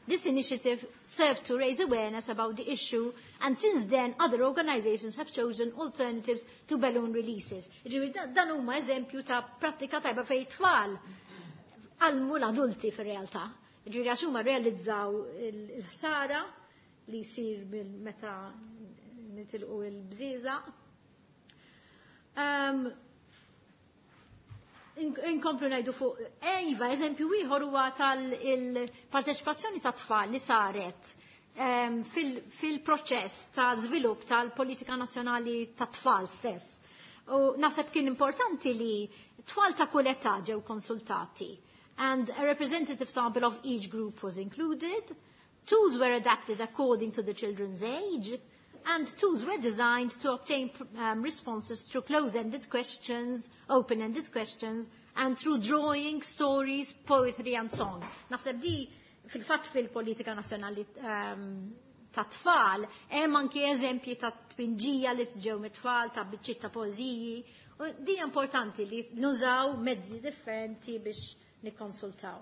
This initiative served to raise awareness about the issue, and since then other organizations have chosen alternatives to balloon releases. Ġifieri dan huma eżempju ta' prattika tajba fejn tfal għallmu l-adulti fir-realtà. Ġifieri għax huma realizzaw il-ħsara li jsir meta nitilqu il-bżieżaq. Inkomplu ngħidu fuq, iva, eżempju ieħor huwa tal-parteċipazzjoni ta' tfal li saret fil-proċess ta' żvilupp tal-politika nazzjonali ta' tfal stess. U naħseb kien importanti li tfal ta' kull età ġew konsultati and a representative sample of each group was included. Tools were adapted according to the children's age and tools were designed to obtain responses through closed-ended questions, open-ended questions, and through drawing, stories, poetry and song. Naħseb di fil-fatt fil-politika nazzjonali ta' tfal, hemm anki eżempji ta' tpinġija li ġew mit-tfal, ta' biċċiet ta' poeżiji. U din importanti li nużaw mezzi differenti biex nikkonsultaw.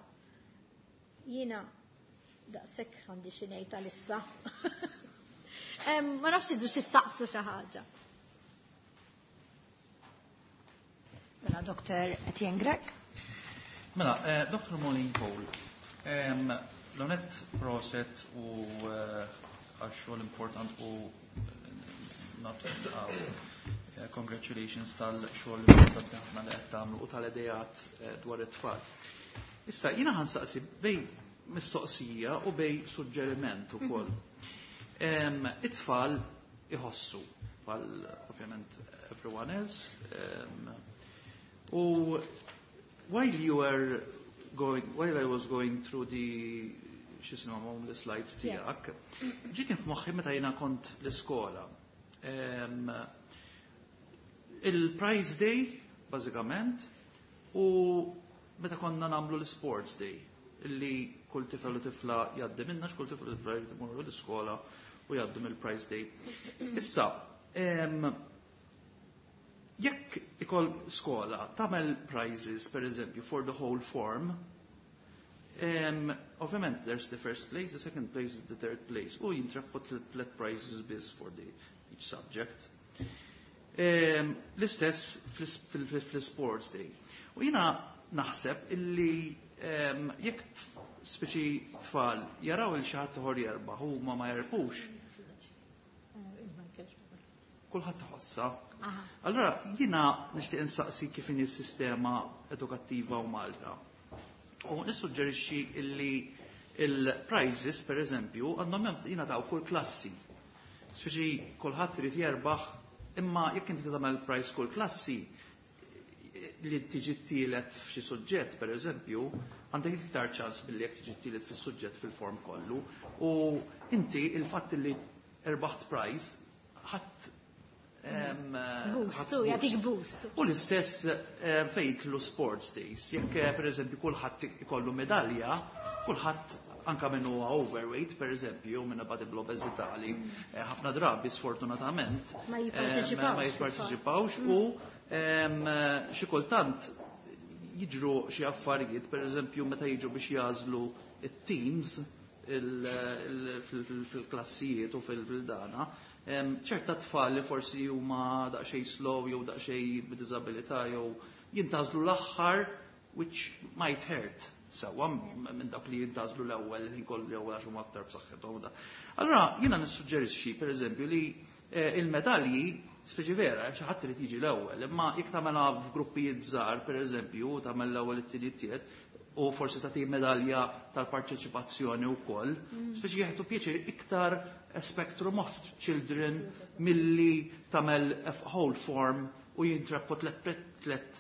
Jiena daqshekk għandi xi ngħid għalissa. Ma nafx idu xi saqsu xi ħaġa. Mela, Dr. Etienne Grech. Mela, Dr. Maureen Cole, l-onet proset u għax-xogħol important u nagħtu congratulations tal-xogħol importanti ħafna li qed tagħmlu u tal-idejat dwar it-tfal. Issa jiena ħa nsaqsi bejn mistoqsija u bejn suġġeriment ukoll. It-tfal iħossu bħal ovvjament everyone else. U while you were going, while I was going through the x'jisimhom the slides tiegħek, ġiet f'moħħi meta jiena kont l-iskola. Il-Prize Day, bażikament, u meta konna nagħmlu l-Sports Day, illi kull tifel u tifla jgħaddi minna, kull tifel u tifla jgħaddi imorru l-iskola u jgħaddu mill-Prize Day. Issa, jekk ikoll skola tagħmel prizes, per eżempju, for the whole form, ovvjament there's the first place, the second place, the third place, u jintrebħu tlet prizes biss for the each subject. L-istess fil-sports day. U jiena naħseb illi jekk speċi tfal jaraw lil xi ħadd ieħor jerbaħ u ma jerbħux, kulħadd iħossha. Allora jiena nixtieq insaqsi kif inhi s-sistema edukattiva u Malta. U nissuġġerixxi illi il-prizes, per eżempju, għandhom jingħataw kull klassi. Speċi kulħadd irid jerbaħ, imma jekk inti tagħmel prize kull klassi, li tiġi t-tielet f'xi suġġett, per eżempju, għandek iktar ċans billi jekk tiġi t-tielet fis-suġġett fil-form kollu. U inti il-fatt li erbaħt prize, ħadd Boost, jagħtik boost. U l-istess fejn jidħlu sports days. Jekk per eżempju kulħadd ikollu medalja, kulħadd anka minn huwa overweight, per eżempju, minn bati bl-obeżità li ħafna drabi sfortunatament ma jipparteċipawx. Ma jipparteċipawx u xi kultant jiġru xi affarijiet, per eżempju, meta jiġu biex jagħżlu it-teams fil-klassijiet u fil-dana, ċerta tfal li forsi huma daqsxejn slow jew daqsxejn b'diżabilità jew jintgħażlu l-aħħar, which might hurt sewwa minn dak li jintgħażlu l-ewwel ħin kollu l-ewwel għax huma aktar b'saħħithom. Allura jiena nissuġġerixxi pereżempju li il-medalji, speċi vera, xi ħadd irid jiġi l-ewwel, imma jekk tagħmelha f'gruppijiet żgħar pereżempju, tagħmel l-ewwel, it-tieni, t-tielet, u forsi tagħti medalja tal-parteċipazzjoni wkoll, speċi jieħdu pjaċir iktar a spectrum of children milli tagħmel whole form u jintrebħu tlet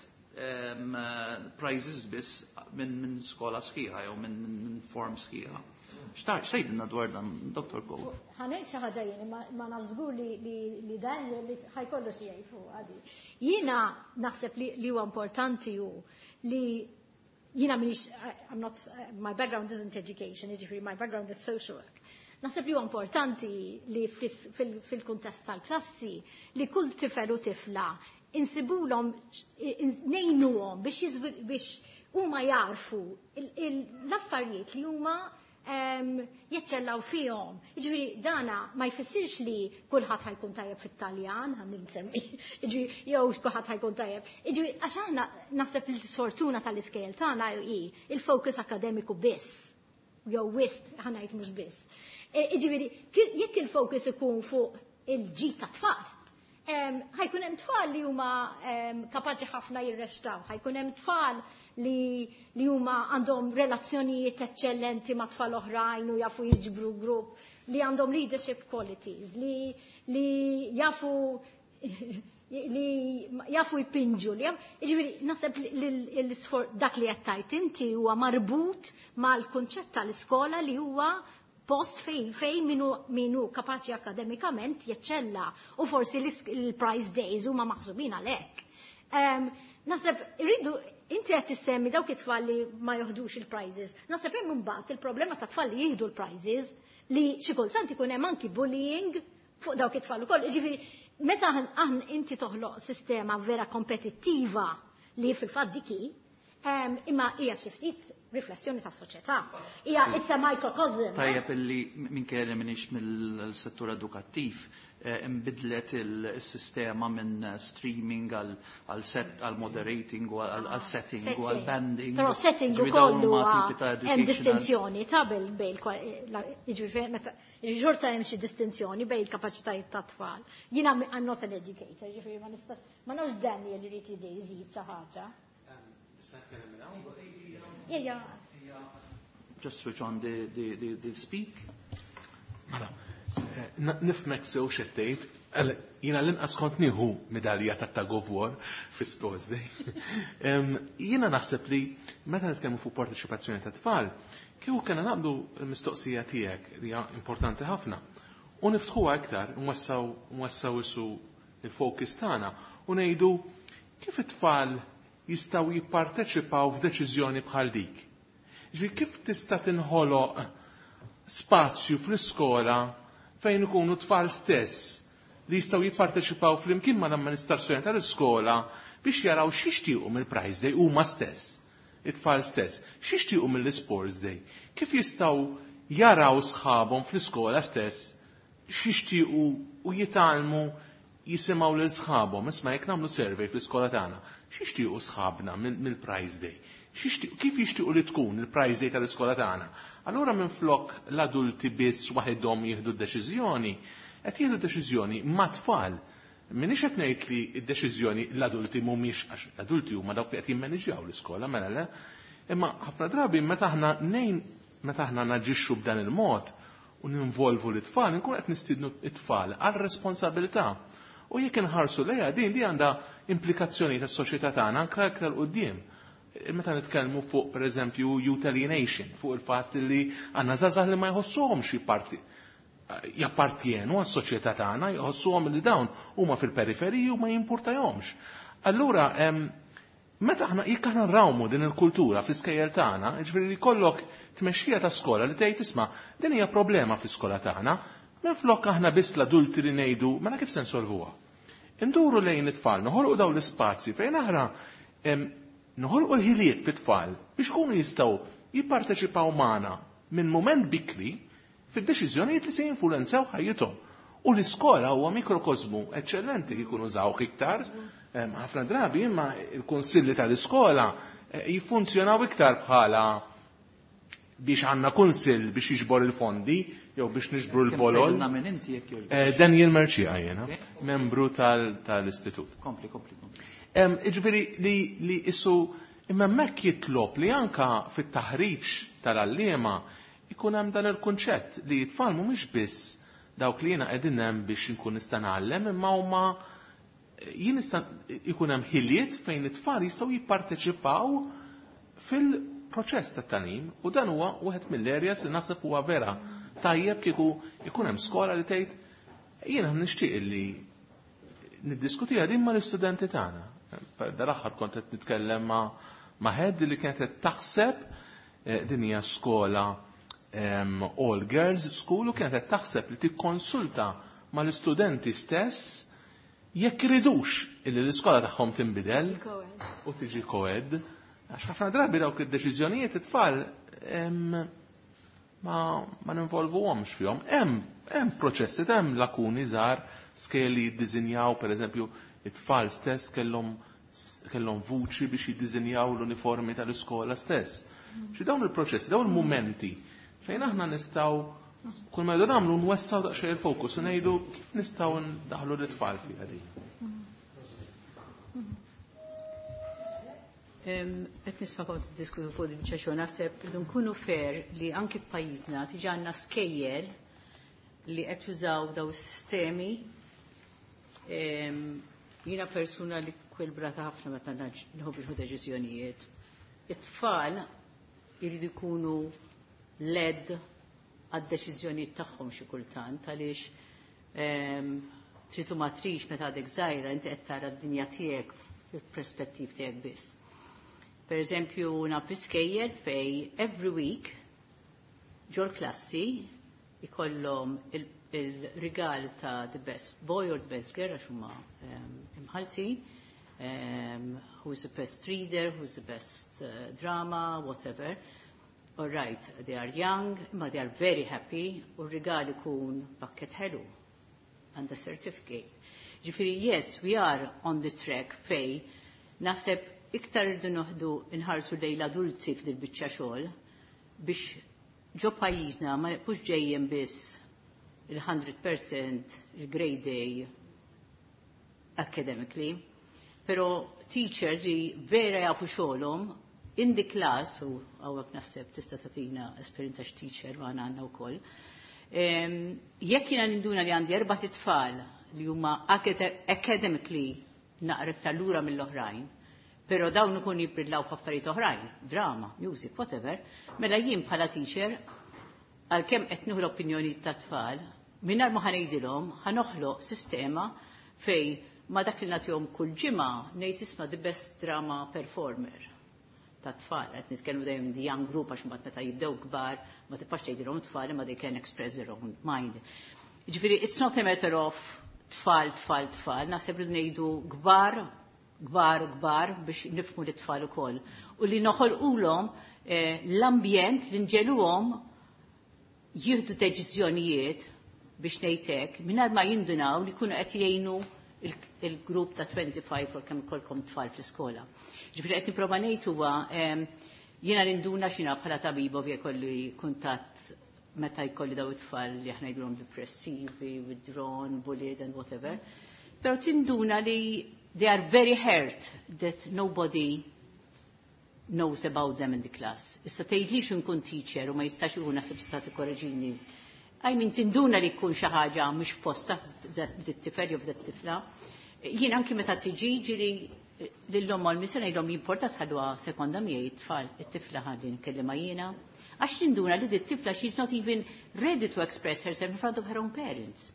prizes biss minn skola sħiħa jew minn form sħiħa. X'tgħidilna dwar dan, Dr. Cole? Ħa ngħid xi ħaġa jien, ma naf żgur li dan li ħa jkollu xi jgħid fuq għadi. Jiena naħseb li huwa importanti hu li jiena m'iniex, I'm not, my background isn't education, jiġifieri my background is social work. Naħseb li huwa importanti li fil-kuntest tal-klassi li kull tifel u tifla insibulhom, ngħinuhom biex huma jarfu l-affarijiet li huma jeċċellaw fihom. Jiġifieri dana ma jfissirx li kulħadd ħa jkun tajjeb fit-Taljan, ħa nsemmi, jiġifieri jew kulħadd ħa jkun tajjeb. Jiġifieri għax aħna naħseb li s-sfortuna tal-iskejjel tagħna hi il-focus akademiku biss. Jew wisq, ħa ngħid mhux biss. Jiġifieri jekk il-focus ikun fuq il-ġid ta' tfal, ħa jkun hemm tfal li huma kapaċi ħafna jirreċtaw, ħa jkun hemm tfal li huma għandhom relazzjonijiet eċċellenti ma' tfal oħrajn u jafu jiġbru grupp, li għandhom leadership qualities, li jafu jpinġu. Li jiġifieri, naħseb li dak li qed tgħid inti huwa marbut mal-kunċett tal-iskola li huwa post fej minu kapaċi akademikament jeċċella u forsi l-prize days huma maħsubin għalhekk. Naħseb irridu, inti qed tissemmi dawk it-tfal li ma joħdux il-prizes. Naħseb hemm imbagħad il-problema ta' tfal li jieħdu l-prizes li xi kultant ikun hemm anki bullying fuq dawk it-tfal ukoll. Jiġifieri Meta inti toħloq sistema vera kompetittiva li fil-fatt dik hi, imma hija xi ftit riflessjoni ta' soċjetà. Hija it's a microcosm. Tajjeb illi minkejja li m'iniex mill-settur edukattiv, imbidlet il-sistema minn streaming għal set, għal moderating u għal setting u għal banding. Però setting Ġifieri dawn ukoll huma huwa tipi ta' hemm educational distinzjoni ta' bejn jiġifieri meta xorta hemm xi distinzjoni bejn il-kapaċitajiet ta' tfal. Jiena I'm not an educator, jiġifieri ma nistax, ma nafx Daniel irid jżid xi ħaġa. Yeah, yeah. Just switch on the speak. Mela, nifhmek sew x'qed tgħid. Jiena l-inqas kont nieħu medalja ta' Tug of War fi Sports Day. Jiena naħseb li meta nitkellmu fuq parteċipazzjoni ta' tfal, kieku kellna naqbdu l-mistoqsija tiegħek li hija importanti ħafna. U niftħuha iktar, nwassaw isu il-focus tagħna u ngħidu kif it-tfal jistgħu jipparteċipaw f'deċiżjoni bħal dik. Ġifieri kif tista' tinħoloq spazju fl-iskola fejn ikunu tfal stess li jistgħu jipparteċipaw flimkien ma' l-amministrazzjoni tal-iskola biex jaraw x'jixtiequ mill-Prize Day huma stess, it-tfal stess, x'jixtiequ mill-Sports Day, kif jistgħu jaraw sħabhom fl-iskola stess x'jixtiequ u jitgħallmu jisimgħu lil sħabhom. Isma' jekk nagħmlu survey fl-iskola tagħna, x'jixtiequ sħabna mill-Prize Day? Kif jixtiequ li tkun il-Prize Day tal-iskola tagħna? Allura minflok l-adulti biss waħedhom jieħdu d-deċiżjoni, qed jieħdu deċiżjoni ma' tfal. M'iniex qed ngħid li d-deċiżjoni l-adulti mhumiex, għax l-adulti huma dawk li qed jimmaniġjaw l-iskola, mela le. Imma ħafna drabi meta aħna nejn, meta aħna naġixxu b'dan il-mod u ninvolvu l-tfal, nkun qed nistiednu t-tfal għal responsabilità. U jekk inħarsu lejha din li għandha implikazzjoni tas-soċjetà tagħna anke aktar 'l quddiem. Meta nitkellmu fuq pereżempju youth alienation, fuq il-fatt li għandna żgħażagħ li ma jħossuhomx jappartjenu għas-soċjetà tagħna, jħossuhom li dawn huma fil-periferiji u ma jimpurtahomx. Allura, meta aħna jekk aħna nrawmu din il-kultura fl-iskejjel tagħna, jiġifieri li jkollok tmexxija ta' skola li tgħid isma' din hija problema fl-iskola tagħna, minflok aħna biss l-adulti li ngħidu mela kif se nsolvuha. Induru lejn it-tfal, noħolqu dawn l-ispazji fejn aħna noħolqu l-ħiliet fit-tfal biex kunu jistgħu jipparteċipaw magħna minn mument bikri fid-deċiżjonijiet li se jinfluwenzaw ħajjithom. U l-iskola huwa mikrokosmu eċċellenti li jkunu żawh iktar. Ħafna drabi imma il-kunsilli tal-iskola jiffunzjonaw iktar bħala biex għandna kunsill biex jiġbor il-fondi jew biex niġbru Kemm l-bolol. tgħidilna minn inti jekk jogħġbok? Daniel Mercieca jiena, Ok. membru tal-istitut. Kompli, kompli, kompli. Jiġifieri li issu imma hemmhekk jitlob li anka fit-taħriġ tal-għalliema ikun hemm dan il-kunċett li t-tfal mhumiex biss dawk li jiena qegħdin hemm biex inkun nista' ngħallem, imma huma jien nista' ikun hemm ħiliet fejn it-tfal jistgħu jipparteċipaw fil-proċess tat-tagħlim, u dan huwa wieħed mill-areas li naħseb huwa vera tajjeb kieku ikun hemm skola li tgħid jiena nixtieq li niddiskutiha din mal-istudenti tagħna. Dal-aħħar kont qed nitkellem ma' head li kienet qed taħseb din hija skola all girls school, u kienet qed taħseb li tikkonsulta mal-istudenti stess jekk iridux illi l-iskola tagħhom tinbidel u tiġi co-ed. Għax ħafna drabi dawk id-deċiżjonijiet it-tfal ma ninvolvuhomx fihom. Hemm proċessi, hemm lakuni żgħar, skeli jiddiżinjaw, pereżempju, it-tfal stess kellhom vuċi biex jiddiżinjaw l-uniformi tal-iskola stess. Xi dawn il-proċessi, dawn il-mumenti fejn aħna nistgħu kull ma jdu nagħmlu nwessaw daqsxejn il-fokus u ngħidu kif nistgħu ndaħlu l-itfal fiha din. Qed nisma' kont tiddiskutu fuq din biċċa xogħol, naħseb irridu nkunu fair li anki f'pajjiżna tiġi għandna skejjel li qed jużaw daw is-sistemi. Jiena persuna li kwilbrata ħafna meta nħobb nieħu deċiżjonijiet. It-tfal jridu jkunu led għad-deċiżjonijiet tagħhom xi kultant, għaliex tritu ma trix meta għadek żgħira inti qed tara d-dinja tiegħek fil-perspettiv tiegħek biss. Per eżempju, naf iskejjel fej every week ġol klassi Ikollhom il-rigal ta' the best boy or the best girl għax huma imħaltin, who's the best reader, who's the best drama, whatever. All right, they are young, imma they are very happy, u r-rigal ikun pakket ħelu and a certificate. Ġifieri, yes, we are on the track fej, naħseb iktar irdu noħdu nħarsu lejn l-adulti f'dil biċċa xogħol biex ġo pajjiżna ma nibqux ġejjin biss il-100% il-grade A academically, pero teachers li vera jafu xogħolhom in the class, u hawnhekk naħseb tista' tagħtina esperjenza x'teacher ma għandna wkoll. Jekk jiena ninduna li għandi erba' tfal li huma academically naqra iktar lura mill-oħrajn, pero dawn ikun jibbrillaw f'affarijiet oħrajn, drama, music, whatever, mela jien bħala teacher għalkemm qed nieħu l-opinjoni tat-tfal, mingħajr ma ħa ngħidilhom ħa noħloq sistema fej ma dak li nagħtihom kull ġimgħa ngħid, "Isma', the best drama performer ta' tfal," qed nitkellmu dejjem the young group għax mbagħad meta jibdew kbar ma tibqax tgħidilhom tfal imma they can express their own mind. Ġifieri it's not a matter of tfal, tfal, tfal, naħseb li ngħidu kbar, kbar, kbar biex nifhmu l-tfal ukoll. U li noħolqulhom l-ambjent li nġegħluhom jieħdu deċiżjonijiet biex ngħidlek mingħajr ma jindunaw li jkunu qed jgħinu il-grupp ta' 25 u kemm ikollkom tfal fl-iskola. Ġifieri qed nipprova ngħid huwa jiena ninduna x'ina bħala tabib ovvja jkolli kuntatt meta jkolli daw it-tfal li aħna ngħidulhom depressivi, withdrawn, bullied and whatever. Pero tinduna li they are very hurt that nobody knows about them in the class. Issa tgħidlix nkun teacher u ma jistax ikun, naħseb tista' tikkoreġini. I mean, tinduna li jkun xi ħaġa mhux posta f'det-tifel jew f'det-tifla. Jien anki meta tiġi ġiri lill-omm u l-missier ngħidhom jimporta tħalluha sekonda miegħi it-tfal, it-tifla ħalli nkellimha jiena. Għax tinduna li dit-tifla she's not even ready to express herself in front of her own parents.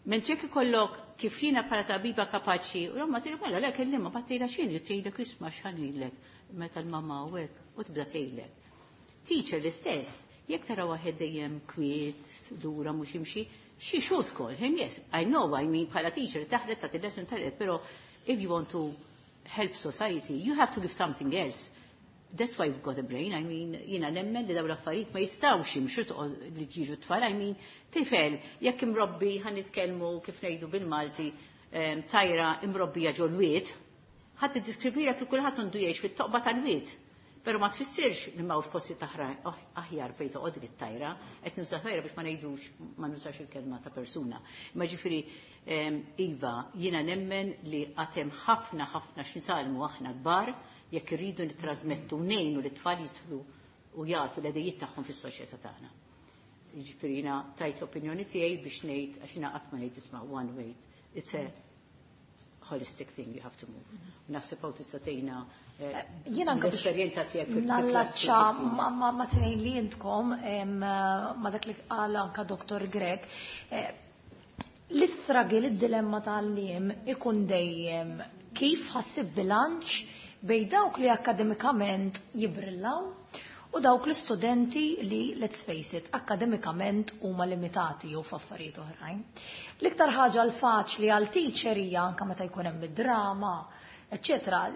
Mentri jekk ikollok kif jiena bħala tabiba kapaċi, u l-omma tgħidlek, "Mela le, kellimha," bat tgħidha x'inhi, tgħidlek, "Isma' x'ħanilek meta l-mamma u hekk," u tibda tgħidlek. Teacher l-istess, jekk tara waħed dejjem kwiet, lura mhux jimxi, she should call him, yes, I know, I mean, bħala teacher taħlet ta' lesson taħlet, pero if you want to help society, you have to give something else. That's why you've got a brain. I mean, jiena nemmen li dawn l-affarijiet ma jistgħux jimxu li jiġu tfal. I mean, tifel, jekk imrobbi, ħa nitkellmu kif ngħidu bil-Malti, tajra imrobbija ġol-wied, ħadd tiddiskrivira kif kulħadd għandu jgħix fit-toqba tal-wied. Pero ma tfissirx li m'hawnx posti aħjar fejn toqgħod dik it-tajra, qed nuża tajra biex ma ngħidux ma nużax il-kelma ta' persuna. Ma ġifieri iva, jiena nemmen li għad hemm ħafna ħafna x'nitgħallmu aħna kbar jekk irridu nittrasmettu ngħinu li tfal jidħlu u jagħtu l-idejiet tagħhom fis-soċjetà tagħna. Ġifieri jiena tajt l-opinjoni tiegħi biex ngħid għax jiena qatt ma ngħid, isma', one way. It's a holistic thing you have to move. Naħseb hawn tista' tgħinna Jiena anke biex l-esperjenza tiegħek Nallaċċa ma tnejn li intkom ma dak li qal anka Dr. Grech. L-istruggle, id-dilemma tal-għalliem ikun dejjem kif ħa ssib bilanċ bejn dawk li akademikament jibrillaw u dawk l-istudenti li, let's face it, akademikament huma limitati jew f'affarijiet oħrajn. L-iktar ħaġa l-faċli għal teacher hija anka meta jkun hemm id-drama, eċċetera,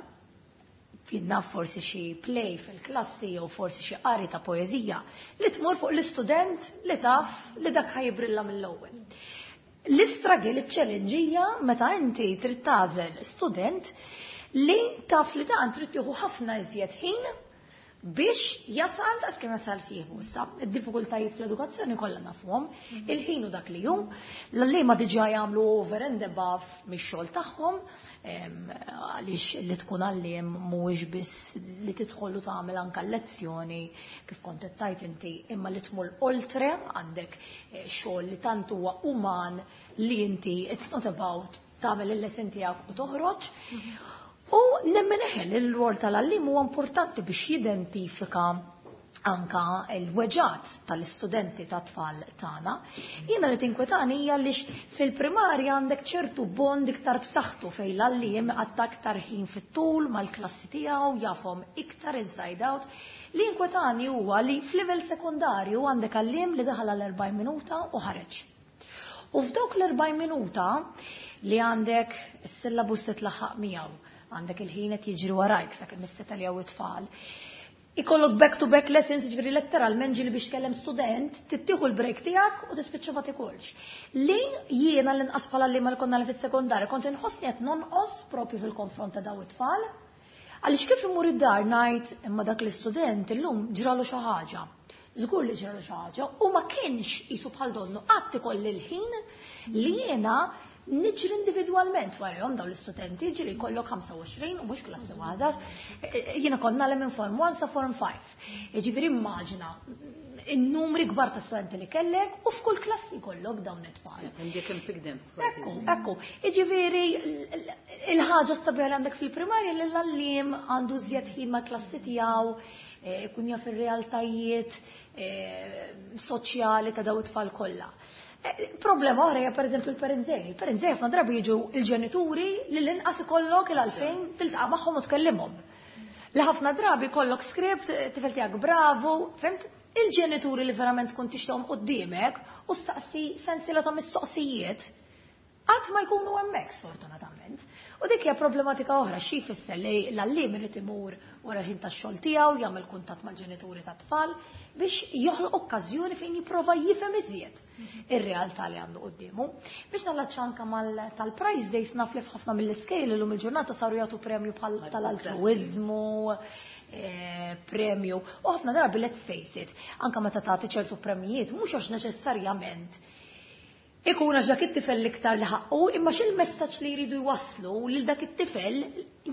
finna forsi xi play fil-klassi jew forsi xi qari ta' poeżija li tmur fuq l-istudent li taf li dak ħa jibrilla mill-ewwel. L-istruggle, il-challenge hija meta inti trid tagħżel student li taf li dan trid tieħu ħafna iżjed ħin biex jasal daqs kemm jasal sieħbu. Issa, id-diffikultajiet fl-edukazzjoni kollha nafuhom, il-ħin u dak li hu, l-għalliema diġà jagħmlu over and above mix-xogħol tagħhom, għaliex li tkun għalliem mhuwiex biss li tidħol u tagħmel anke lezzjoni kif kont qed tgħid inti, imma li tmur oltre għandek xogħol li tant huwa uman li inti it's not about tagħmel il-lesson tiegħek u toħroġ. U nemmen eħel il-rol tal-għalliem huwa importanti biex jidentifika. Anka l-weġgħat tal-istudenti ta' tfal tagħna. Jiena li tinkwetani hija li fil-primarja għandek ċertu bond iktar b'saħħtu fejn l-għalliem għatta aktar ħin fit-tul mal-klassi tiegħu, jafhom iktar inside out. Li inkwetani huwa li f'livell sekundarju għandek għalliem li daħal għal 40 minuta u ħareġ. U f'dawk l-40 minuta li għandek is-syllabus se tlaħħaq miegħu, għandek il-ħin qed jiġri warajk sakemm is-setgħa it-tfal. Ikollok back to back lessons, ġifieri letteralment ġieli biex tkellem student, tittieħu l-break tiegħek u tispiċċa ma tikolx. Li jiena l-inqas bħala li mal konna li fis-sekondarja kont inħossni qed nonqos propju fil-konfront ta' daw it-tfal. Għaliex kif imur id-dar ngħid imma dak l-istudent illum ġralu xi ħaġa. Żgur li ġralu xi ħaġa u ma kienx qisu bħal donnu qatt ikolli l-ħin li jiena niġri individwalment warahom dawn l-istudenti, ġieli jkollok 25 u mhux klassi waħda. Jiena kont nagħlem minn Form 1 sa Form 5. Ġifieri immaġina in-numri kbar ta' studenti li kellek u f'kull klassi jkollok dawn it-tfal. And you can pick them. Ekku. Ġifieri il-ħaġa sabiħa li għandek fil-primarja li l-għalliem għandu żjed ħin ma' klassi tiegħu, ikun jaf ir-realtajiet soċjali ta' daw it-tfal kollha. Problema oħra hija pereżempju l-parents day. Il-parents day ħafna drabi jiġu il-ġenituri li l-inqas ikollok il-għalfejn tiltaqa' magħhom u tkellimhom. Li ħafna drabi kollok script, tifel tiegħek bravu, fhimt? Il-ġenituri li verament tkun tixtieqhom quddiemek u staqsi sensiela ta' mistoqsijiet qatt ma jkunu hemmhekk, sfortunatament. U dik hija problematika oħra. Xi jfisser li l-għalliem irid imur wara l-ħin tax-xogħol tiegħu jagħmel kuntatt mal-ġenituri tat-tfal biex joħloq okkażjoni fejn jipprova jifhem iżjed ir-realtà li għandu quddiemu. Biex nallaċċa anka mal tal-prize days, naf li f'ħafna mill-iskejl illum il-ġurnata saru jagħtu premju bħal tal-altruiżmu, premju. U ħafna drabi, let's face it, anka meta tagħti ċertu premjijiet, mhux għax neċessarjament ikun għax dak it-tifel l-iktar li ħaqqu, imma x'il-messaġġ li jridu jwasslu lil dak it-tifel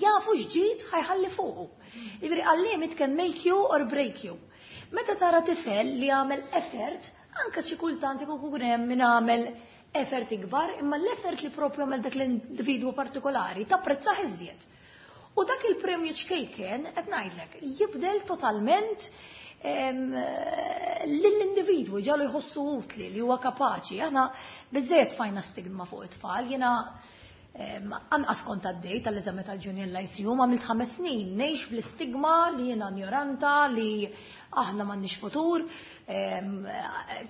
jafu x'ġid ħa jħalli fuqu. Jiġifieri għalliem, it can make you or break you. Meta tara tifel li għamel effort, anka xi kultant ikun hemm min għamel effort ikbar, imma l-effort li propju għamel dak l-individwu partikolari tapprezzah iżjed. U dak il-premju ċkejken, qed ngħidlek, jibdel totalment lill-individwu, ġalu jħossu utli li huwa kapaċi. Aħna biżejjed fajna stigma fuq it-tfal, jiena anqas kont għaddej tal-eżami tal-Junior Lyceum, għamilt 5 snin ngħix bl-istigma li jiena ignoranta, li aħna m'għandniex futur.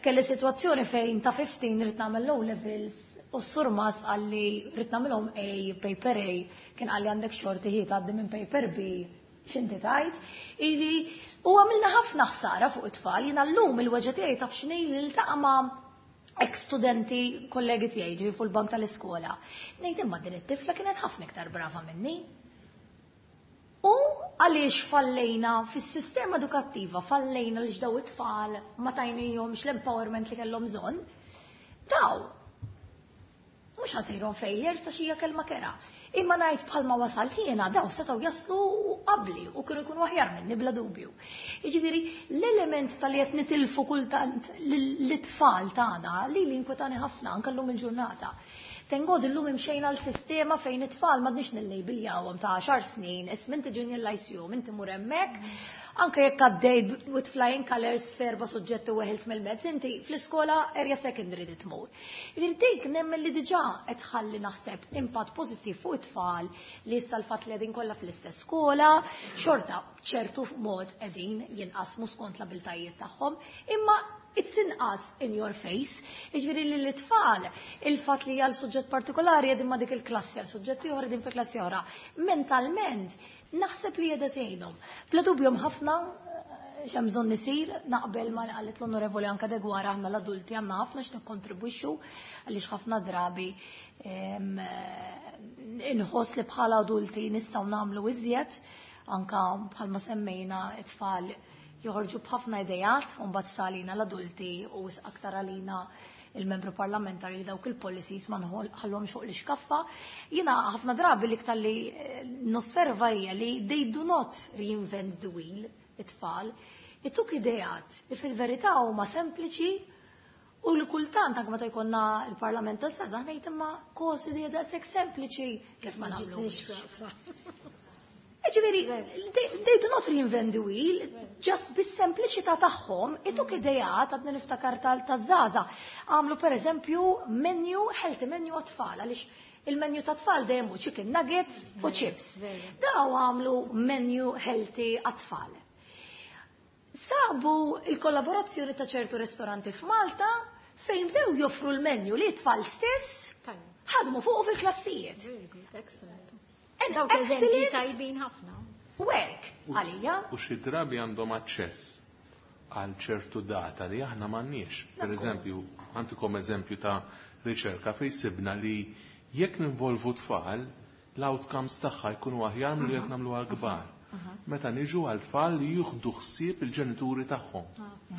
Kelli sitwazzjoni fejn ta' 15 rrid nagħmel O levels u s-surmas qalli rrid nagħmilhom A, paper A, kien qalli għandek xorti ħi tgħaddi minn paper B, x'inti tajt. Ili, u għamilna ħafna ħsara fuq it-tfal, jiena llum il-weġgħa tiegħi taf x'inhi li niltaqa' ma' ex-studenti kollegi tiegħi ġi fuq il-bank tal-iskola. Ngħid imma din it-tifla kienet ħafna iktar brava minni. U għaliex fallejna fis-sistema edukattiva, fallejna li daw it-tfal ma tajnihomx l-empowerment li kellhom bżonn. Daw, mhux ħa nsejħilhom failure sa xija kelma kerha. Imma ngħid bħalma wasalt jiena, daw setgħu jaslu qabli u kienu jkunu aħjar minni bla dubju. Jiġifieri l-element tal-li qed nitilfu kultant l-tfal tagħna li inkwetani ħafna anke llum il-ġurnata. Thank God illum imxejna l-sistema fejn it-tfal m'għadniex nillejbiljawhom ta' 10 snin, isma' inti junior lyceum, inti mur hemmhekk, anke jekk għaddej with flying colors f'erba' suġġetti u weħilt mill-mezz, inti fl-iskola area secondary di tmur. Jiġifieri dik nemmen li diġà qed ħalli naħseb impatt pożittiv fuq it-tfal li issa l-fatt li qegħdin kollha fl-istess skola, xorta ċertu mod qegħdin jinqasmu skont l-abiltajiet tagħhom, imma it's inqas in your face. Jiġifieri li l-tfal, il-fatt li għal suġġett partikolari qegħdin ma' dik il-klassi, għal suġġett ieħor qegħdin fi klassi oħra. Mentalment, naħseb li qiegħda tgħinhom. Bla dubju ħafna x'hemm bżonn isir, naqbel ma li qalet l-Onorevoli anka Deguara, aħna l-adulti għandna ħafna x'nikkontribwixxu għaliex ħafna drabi inħoss li bħala adulti nistgħu nagħmlu iżjed, anka bħalma semmejna it-tfal joħorġu b'ħafna idejat u mbagħad salina l-adulti u aktar għalina il-membru parlamentari li dawk il-policies ma nħallhomx fuq l-iskaffa. Jiena ħafna drabi l-iktar li nosserva hija li they do not reinvent the wheel, it-tfal. Ituk idejat li fil-verità huma sempliċi u li kultant anke meta jkollna il-Parlament tas-Żgħażagħ ngħid imma kosi di daqshekk sempliċi kif ma nagħmlux. Ġifieri, they do not reinvent the wheel, just bis-sempliċità tagħhom, ituk idejat, għadni niftakar tal-żgħażagħ. Għamlu per eżempju menu, healthy menu għat-tfal, għaliex il-menu ta' tfal dejjem hu chicken nuggets u chips. Daw għamlu menu healthy għat-tfal. Sabu il-kollaborazzjoni ta' ċertu ristoranti f'Malta fejn bdew joffru l-menu li tfal stess ħadmu fuq fil-klassijiet. Very good, excellent. An Dawk eżempji excellent tajbin ħafna. work għalija. U xi drabi għandhom aċċess għal ċertu data li aħna m'għandniex. Per eżempju, għandikom eżempju ta' riċerka fejn sibna li jekk ninvolvu tfal, l-outcomes tagħha jkunu aħjar milli jekk nagħmluha kbar. Meta niġu għal tfal li jieħdu ħsieb il-ġenituri tagħhom.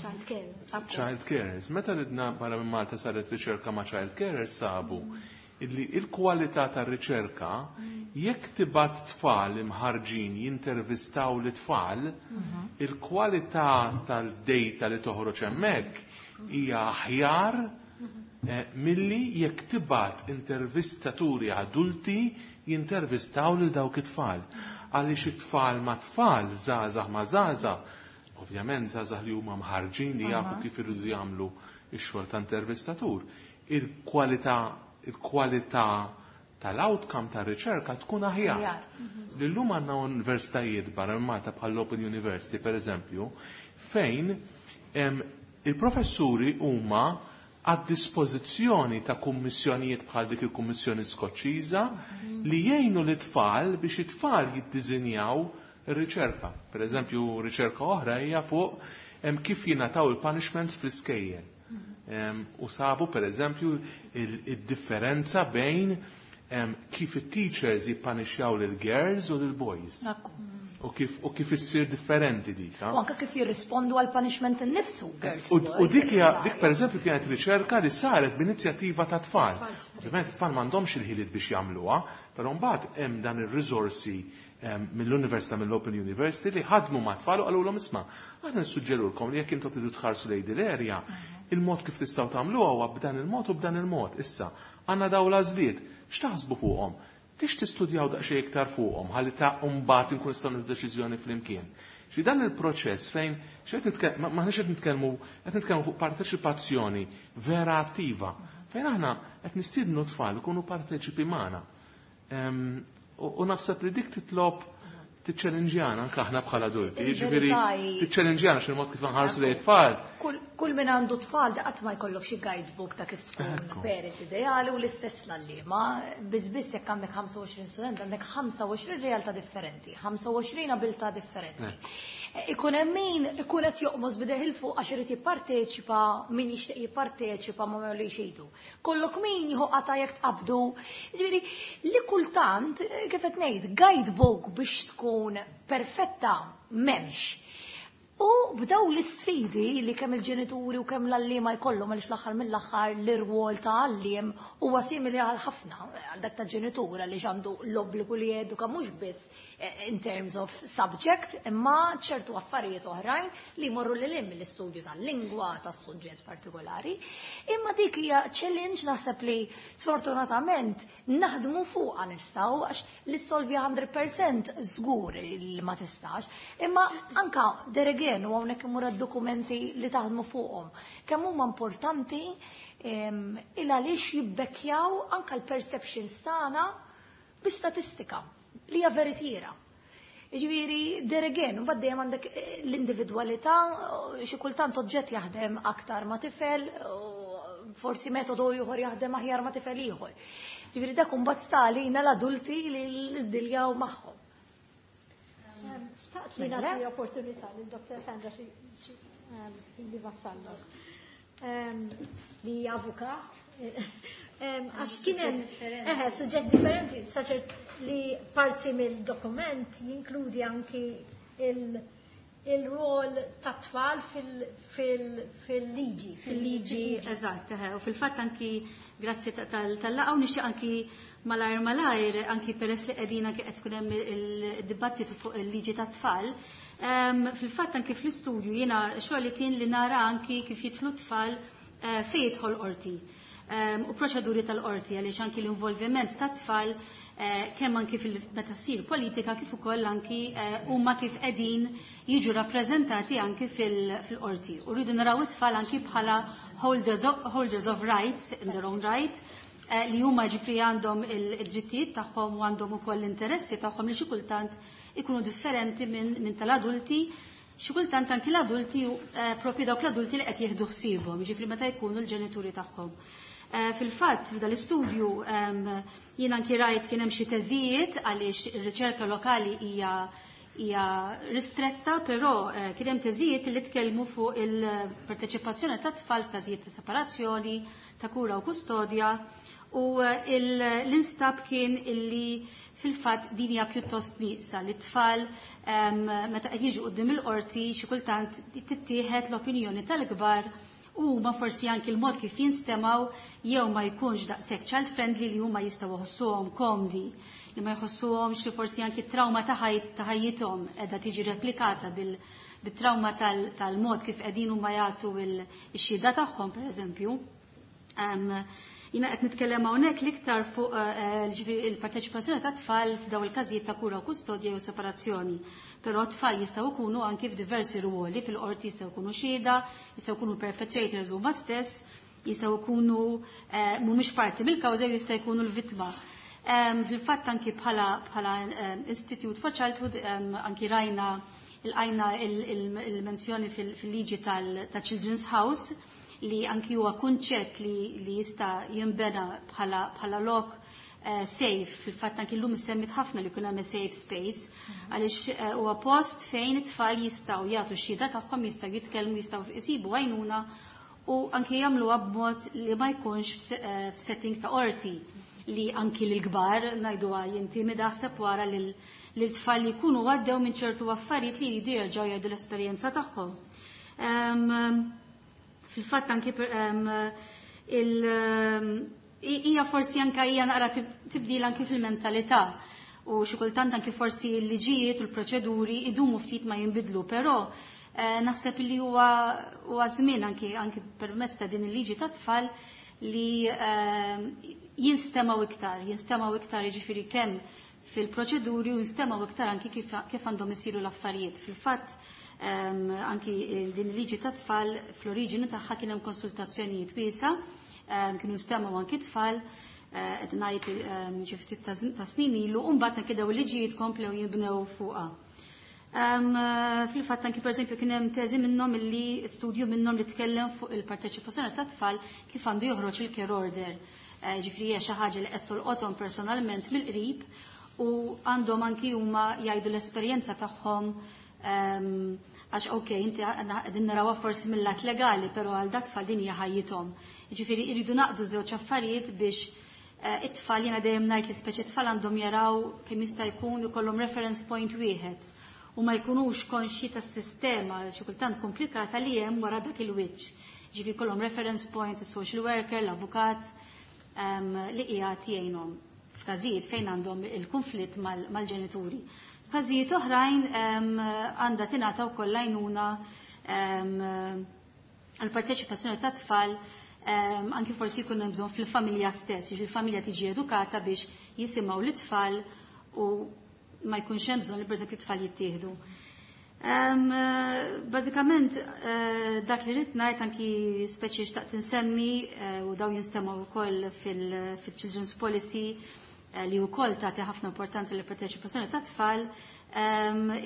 Child care. Child carers. Meta ridna barra minn Malta saret riċerka ma' child carers sabu illi il-kwalità tar-riċerka jekk tibgħat tfal imħarġin jintervistaw l-tfal, il-kwalità tal-data li toħroġ hemmhekk hija aħjar milli jekk tibgħat intervistaturi adulti jintervistaw lil dawk it-tfal. Għaliex it-tfal ma' tfal, żgħażagħ ma' żgħażagħ, ovvjament żgħażagħ li huma mħarġin li jafu kif iridu jagħmlu x-xogħol ta' intervistatur. Il-kwalità tal-outcome tar-riċerka tkun aħjar. Illum għandna universitajiet barra minn Malta bħal Open University per eżempju, fejn il-professuri huma għad dispożizzjoni ta' kummissjonijiet bħal dik il-Kummissjoni Skoċċiża li jgħinu l-tfal biex it-tfal jiddiżinjaw ir-riċerka. Per eżempju, riċerka oħra hija fuq kif jingħataw il-punishments fl-iskejjel. U sabu per eżempju il-differenza bejn kif it-teachers jippanixxjaw lil-girls u lil-boys. U kif issir differenti dik. U anka kif jirrispondu għal punishment innifsu, girls. U dik hija dik per eżempju kienet riċerka li saret b'inizjattiva ta' tfal. Ovvjament it-tfal m'għandhomx il-ħiliet biex jagħmluha, però mbagħad hemm dan ir-riżorsi mill-Università, mill-Open University li ħadmu ma' tfal u qalulhom isma' aħna nissuġġerulkom li jekk intom tridu tħarsu lejn din l-erja, il-mod kif tistgħu tagħmluha huwa b'dan il-mod u b'dan il-mod. Issa, għandna dawn l-għażliet, x'taħsbu fuqhom? Tix tistudjaw daqsxejn iktar fuqhom ħalli ta' mbagħad inkun nistgħu nieħdu deċiżjoni flimkien. Xi dan il-proċess fejn m'aħniex qed nitkellmu, qed nitkellmu fuq parteċipazzjoni vera attiva, fejn aħna qed nistiednu tfal ikunu parteċipi magħna. U naħseb li dik titlob tiċċellinġjana anke aħna bħala adulti, jiġifieri tiċċellinġjana x'il-mod kif nħarsu lejn tfal. Kull min għandu tfal da qatt ma jkollok xi guidebook ta' kif tkun parent ideali u l-istess l-għalliema. Biss biss jekk għandek 25 student għandek 25 realtà differenti, 25 abilità differenti. Ikun hemm min ikun qed joqmos bideh il fuq għax irid jipparteċipa, min jixtieq jipparteċipa ma jolli xidu. Kollok min jieħu qata jekk tqabdu. Jiġifieri li kultant kif qed ngħid guidebook biex tkun perfetta m'hemmx. U b'daw l-isfidi li kemm il-ġenituri u kemm l-għalliema jkollhom għaliex l-aħħar mill-aħħar l-irwol ta' għalliem huwa simili għal ħafna għal dak ta' ġenitur għaliex għandu l-obbligu li jeduka mhux biss in terms of subject imma ċertu affarijiet oħrajn li jmorru lil hinn mill-istudju tal-lingwa, tas-suġġett partikolari. Imma dik hija challenge naħseb li sfortunatament naħdmu fuqha nistgħu għax li solvi 100% żgur li ma tistax. Imma anka there again u hawnhekk imur dokumenti li taħdmu fuqhom. Kemm huma importanti il għaliex jibbekkjaw anka l-perceptions tagħna bi statistika li hija veritiera. Jiġifieri, there again, mbagħad dejjem għandek l-individwalità, xi kultant oġġett jaħdem aktar ma' tifel, forsi metodu ieħor jaħdem aħjar ma' tifel ieħor. Jiġifieri dak imbagħad sta għalina l-adulti li ddiljaw magħhom. Xtaqt li nagħti opportunità lil Dr. Sandra Xi Vassallo li hija avukat. Għax kien hemm suġġett differenti, saċert li parti mill-dokument jinkludi anki il-rol ta' tfal fil-liġi. Fil-liġi, eżatt, u fil-fatt anki grazzi tal-laqgħa u nixtieq anki malajr malajr, anki peress li qegħdin anki qed tkun hemm il-dibattitu fuq il-liġi tat-tfal. Fil-fatt anki fl-istudju jiena xogħli kien li nara anki kif jidħlu tfal fejn jidħol qorti. U proċeduri tal-qorti għaliex anki l-involviment tat-tfal kemm anki meta ssir politika kif ukoll anki huma kif qegħdin jiġu rappreżentati anki fil-qorti. U rridu naraw it-tfal anki bħala holders of rights in their own right, li huma ġifri għandhom il-drittijiet tagħhom u għandhom ukoll l-interessi tagħhom li xi kultant ikunu differenti minn tal-adulti. Xi kultant anki l-adulti, propju dawk l-adulti li qed jieħdu ħsiebhom, ġifri meta jkunu l-ġenituri tagħhom. Fil-fatt, f'dal istudju jien anki rajt kien hemm xi teżijiet għaliex ir-riċerka lokali hija ristretta, però kien hemm teżijiet li tkellmu fuq il-parteċipazzjoni ta' tfal f'każijiet ta' separazzjoni, ta' kura u kustodja, u l-instab kien illi fil-fatt din hija pjuttost nieqsa li t-tfal meta qed jiġu quddiem il-qorti xi kultant tittieħed l-opinjoni tal-kbar u ma forsi anki l-mod kif jinstemaw jew ma jkunx daqshekk child friendly li huma jistgħu jħossuhom komdi, li ma jħossuhomx li forsi anki trauma ta' ħajjithom qiegħda tiġi replikata bit-trauma tal-mod kif qegħdin huma jagħtu x-xhieda tagħhom, pereżempju. Jiena qed nitkellem hawnhekk l-iktar fuq il-parteċipazzjoni ta' tfal f'daw il-każijiet ta' kura u kustodja jew separazzjoni. Però tfal jistgħu jkunu anki f'diversi ruoli fil-qorti, jistgħu jkunu xhieda, jistgħu jkunu perpetrators huma stess, jistgħu jkunu mhumiex parti mill-kawża jew jista' jkunu l-vittma. Fil-fatt anki bħala Institute for Childhood anki rajna il-għajna il-menzjoni fil-liġi tal-Children's House, li anki huwa kunċett li jista' jinbena bħala lok safe. Fil-fatt anki llum semmit ħafna li jkun hemm safe space, għaliex huwa post fejn it-tfal jistgħu jagħtu x-xhieda tagħhom, jistgħu jitkellmu, jistgħu jsibu għajnuna u anki jagħmluha b'mod li ma jkunx f'setting ta' qorti li anki l-kbar ngħiduha jintimida, ħseb wara lil tfal li jkunu għaddew minn ċertu affarijiet li jridu jerġgħu jgħidu l-esperjenza tagħhom. Fil-fatt anki hija forsi anke hija naqra tibdil anki fil-mentalità u xi kultant anki forsi l-liġijiet u l-proċeduri idumu ftit ma jinbidlu, però naħseb li huwa żmien anki permezz ta' din il-liġi ta' tfal li jinstemaw iktar, jiġifieri kemm fil-proċeduri u jinstemaw iktar anki kif għandhom isiru l-affarijiet. Fil-fatt anki din il-liġi ta' tfal fl-oriġini tagħha kien hemm konsultazzjonijiet wiesa, kienu stemaw anki tfal, qed ngħid xi ftit ta' snin ilu, u mbagħad anki daw il-liġijiet komplew jinbnew fuqha. Fil-fatt anki pereżempju kien hemm teżi minnhom illi studju minnhom li tkellem fuq il-parteċipazzjoni ta' tfal kif għandu joħroġ il-care order. Ġifieri hija xi ħaġa li qed tolqothom personalment mill-qrib u għandhom anki huma jgħidu l-esperjenza tagħhom, għax ok, inti qegħdin narawha forsi mill-lat legali, però għal dat tfal din hija ħajjithom. Jiġifieri jridu naqdu żewġ affarijiet biex it-tfal, jiena dejjem ngħid li speċi tfal għandhom jaraw kemm jista' jkun ikollhom reference point wieħed u ma jkunux konxji tas-sistema xi kultant komplikata li hemm wara dak il-wiċċ. Ġifieri jkollhom reference point, is-social worker, l-avukat li qiegħed jgħinhom f'każijiet fejn għandhom il-konflitt mal-ġenituri. F'każijiet oħrajn għandha tingħata wkoll għajnuna għall-parteċipazzjoni ta' tfal, anki forsi jkun hemm bżonn fil-familja stess, jiġifieri il-familja tiġi edukata biex jisimgħu l-tfal u ma jkunx hemm bżonn li pereżempju t-tfal jittieħdu. Bażikament dak li rrid ngħid, anki speċi xtaqt insemmi u daw jinstemgħu wkoll fil-Children's Policy, li wkoll tagħti ħafna importanza lill parteċipazzjoni ta' tfal,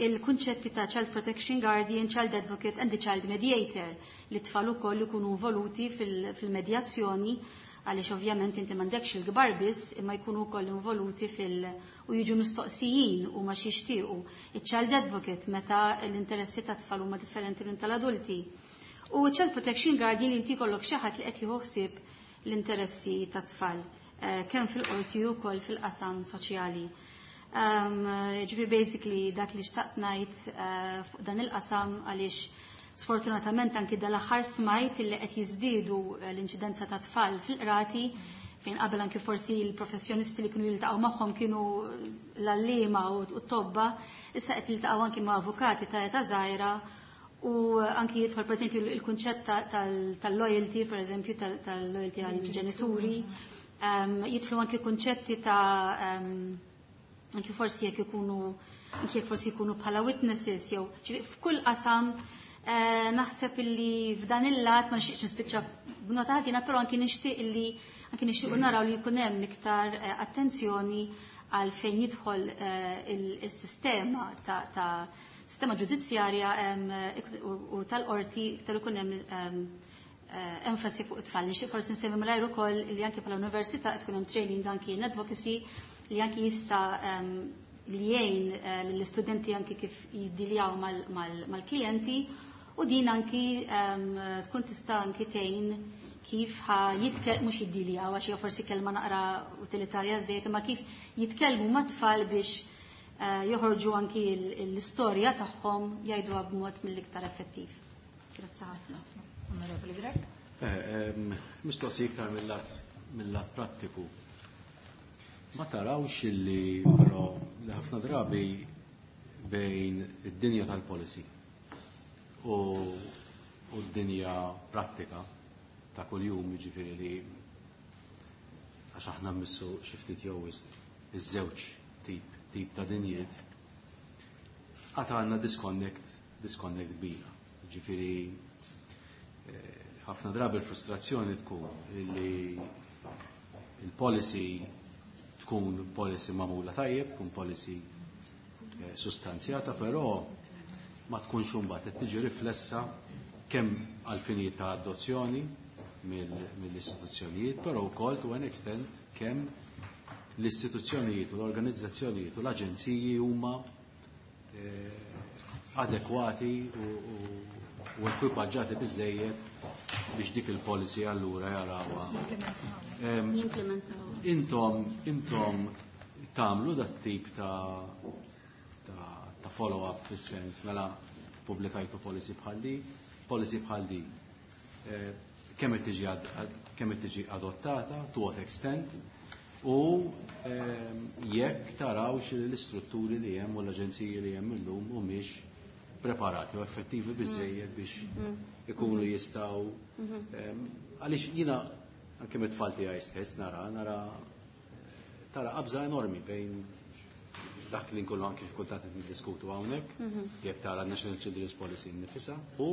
il-kunċetti ta' Child Protection Guardian, Child Advocate and the Child Mediator, li tfal ukoll ikunu involuti fil-medjazzjoni, għaliex ovvjament inti m'għandekx il-kbar biss imma jkunu wkoll involuti u jiġu mistoqsijin u ma xixtiequ. Il-Child Advocate meta l-interessi ta' tfal huma differenti minn tal-adulti. U Child Protection Guardian, inti jkollok xi ħadd li qed jieħu ħsieb l-interessi ta' tfal, kemm fil-qorti u wkoll fil-qasam soċjali. Ġifieri basically dak li xtaqt ngħid fuq dan il-qasam, għaliex sfortunatament anki dal-aħħar smajt li qed jiżdiedu l-inċidenza ta' tfal fil-qrati, fejn qabel anki forsi l-professjonisti li kienu jiltaqgħu magħhom kienu l-għalliema u t-tobba, issa qed jiltaqgħu anki ma' avukati ta' età żgħira u anki jidħol pereżempju il-kunċett tal-loyalty, pereżempju tal-loyalty għall-ġenituri. Jidħlu anki kunċetti ta' anki forsi jekk ikunu anki jekk forsi jkunu bħala witnesses jew f'kull qasam. Naħseb illi f'dan il-lat ma nixtieqx nispiċċa b'nota ħażina, però anki nixtieq illi anki nixtiequ naraw li jkun hemm iktar attenzjoni għal fejn jidħol il-sistema ta' sistema ġudizzjarja u tal-qorti, iktar ikun hemm enfasi fuq it-tfal. Nixtieq forsi nsemmi malajr ukoll li anke bħala università qed tkun hemm training anki in advocacy li anki jista' li jgħin lill-istudenti anki kif jiddiljaw mal-klijenti u din anki tkun tista' anki tgħin kif ħa jitkellmu, mhux jiddiljaw għax hija forsi kelma naqra utilitarja żejt, imma kif jitkellmu mat-tfal biex joħorġu anki l-istorja tagħhom, jgħiduha b'mod mill-iktar effettiv. Grazzi ħafna. Onorevoli Grech. Mistoqsi iktar mill-lat prattiku. Ma tarawx illi però li ħafna drabi bejn id-dinja tal-policy u d-dinja prattika ta' kuljum, jiġifieri li għax aħna mmissu xi ftit jew wisq iż-żewġ tip ta' dinjiet, għad għandna disconnect kbira. Ġifieri ħafna drabi l-frustrazzjoni tkun li il-policy tkun policy magħmula tajjeb, tkun policy sustanzjata, però ma tkunx imbagħad qed tiġi riflessa kemm għal finijiet ta' adozzjoni mill-istituzzjonijiet, però wkoll to an extent kemm l-istituzzjonijiet u l-organizzazzjonijiet u l-aġenziji huma adekwati u ekwipaġġati biżejjed biex dik il-policy allura jarawha. Jimplementaw. Intom tagħmlu dat tip ta' follow-up fis-sens mela pubblikajtu policy bħal di, policy bħal di. Kemm qed tiġi adottata, to what extent, u jekk tarawx li l-istrutturi li hemm u l-aġenziji li hemm illum humiex preparati u effettivi biżejjed biex ikunu jistgħu, għaliex jiena anke mit-tfal tiegħi stess nara tara qabża enormi bejn dak li nkunu anke f'kultant qed niddiskutu hawnhekk, jekk tara National Children's Policy nnifisha u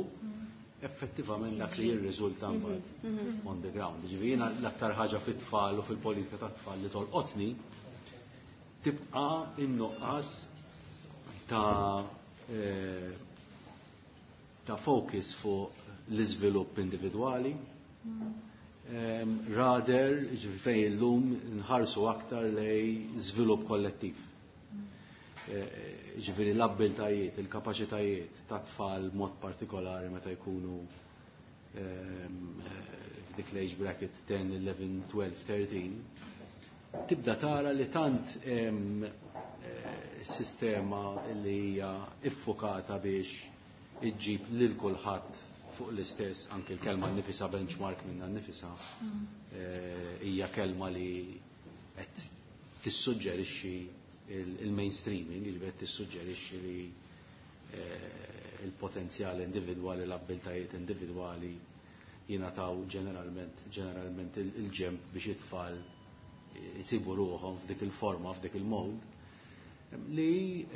effettivament dak li jirriżulta mbagħad on the ground. Ġifieri jiena l-aktar ħaġa fit-tfal u fil-politika tat-tfal li tolqotni tibqa' in-nuqqas ta' focus fuq l-iżvilupp individwali, rather ġifieri fejn illum nħarsu aktar lejn żvilupp kollettiv. Ġifieri l-abbiltajiet, il-kapaċitajiet ta' tfal mod partikolari meta jkunu f'dik l-age bracket 10, 11, 12, 13, tibda tara li tant sistema li hija iffokata biex iġġib lil kulħadd fuq l-istess, anke l-kelma nifisa benchmark minna nifisa hija kelma li qed tissuġġerixxi il-mainstreaming, li qed tissuġġerixxi li il-potenzjal individwali, l-abbiltajiet individwali jingħataw ġeneralment il-ġemp biex it-tfal jisibu ruħhom f'dik il-forma, f'dik il-mold, li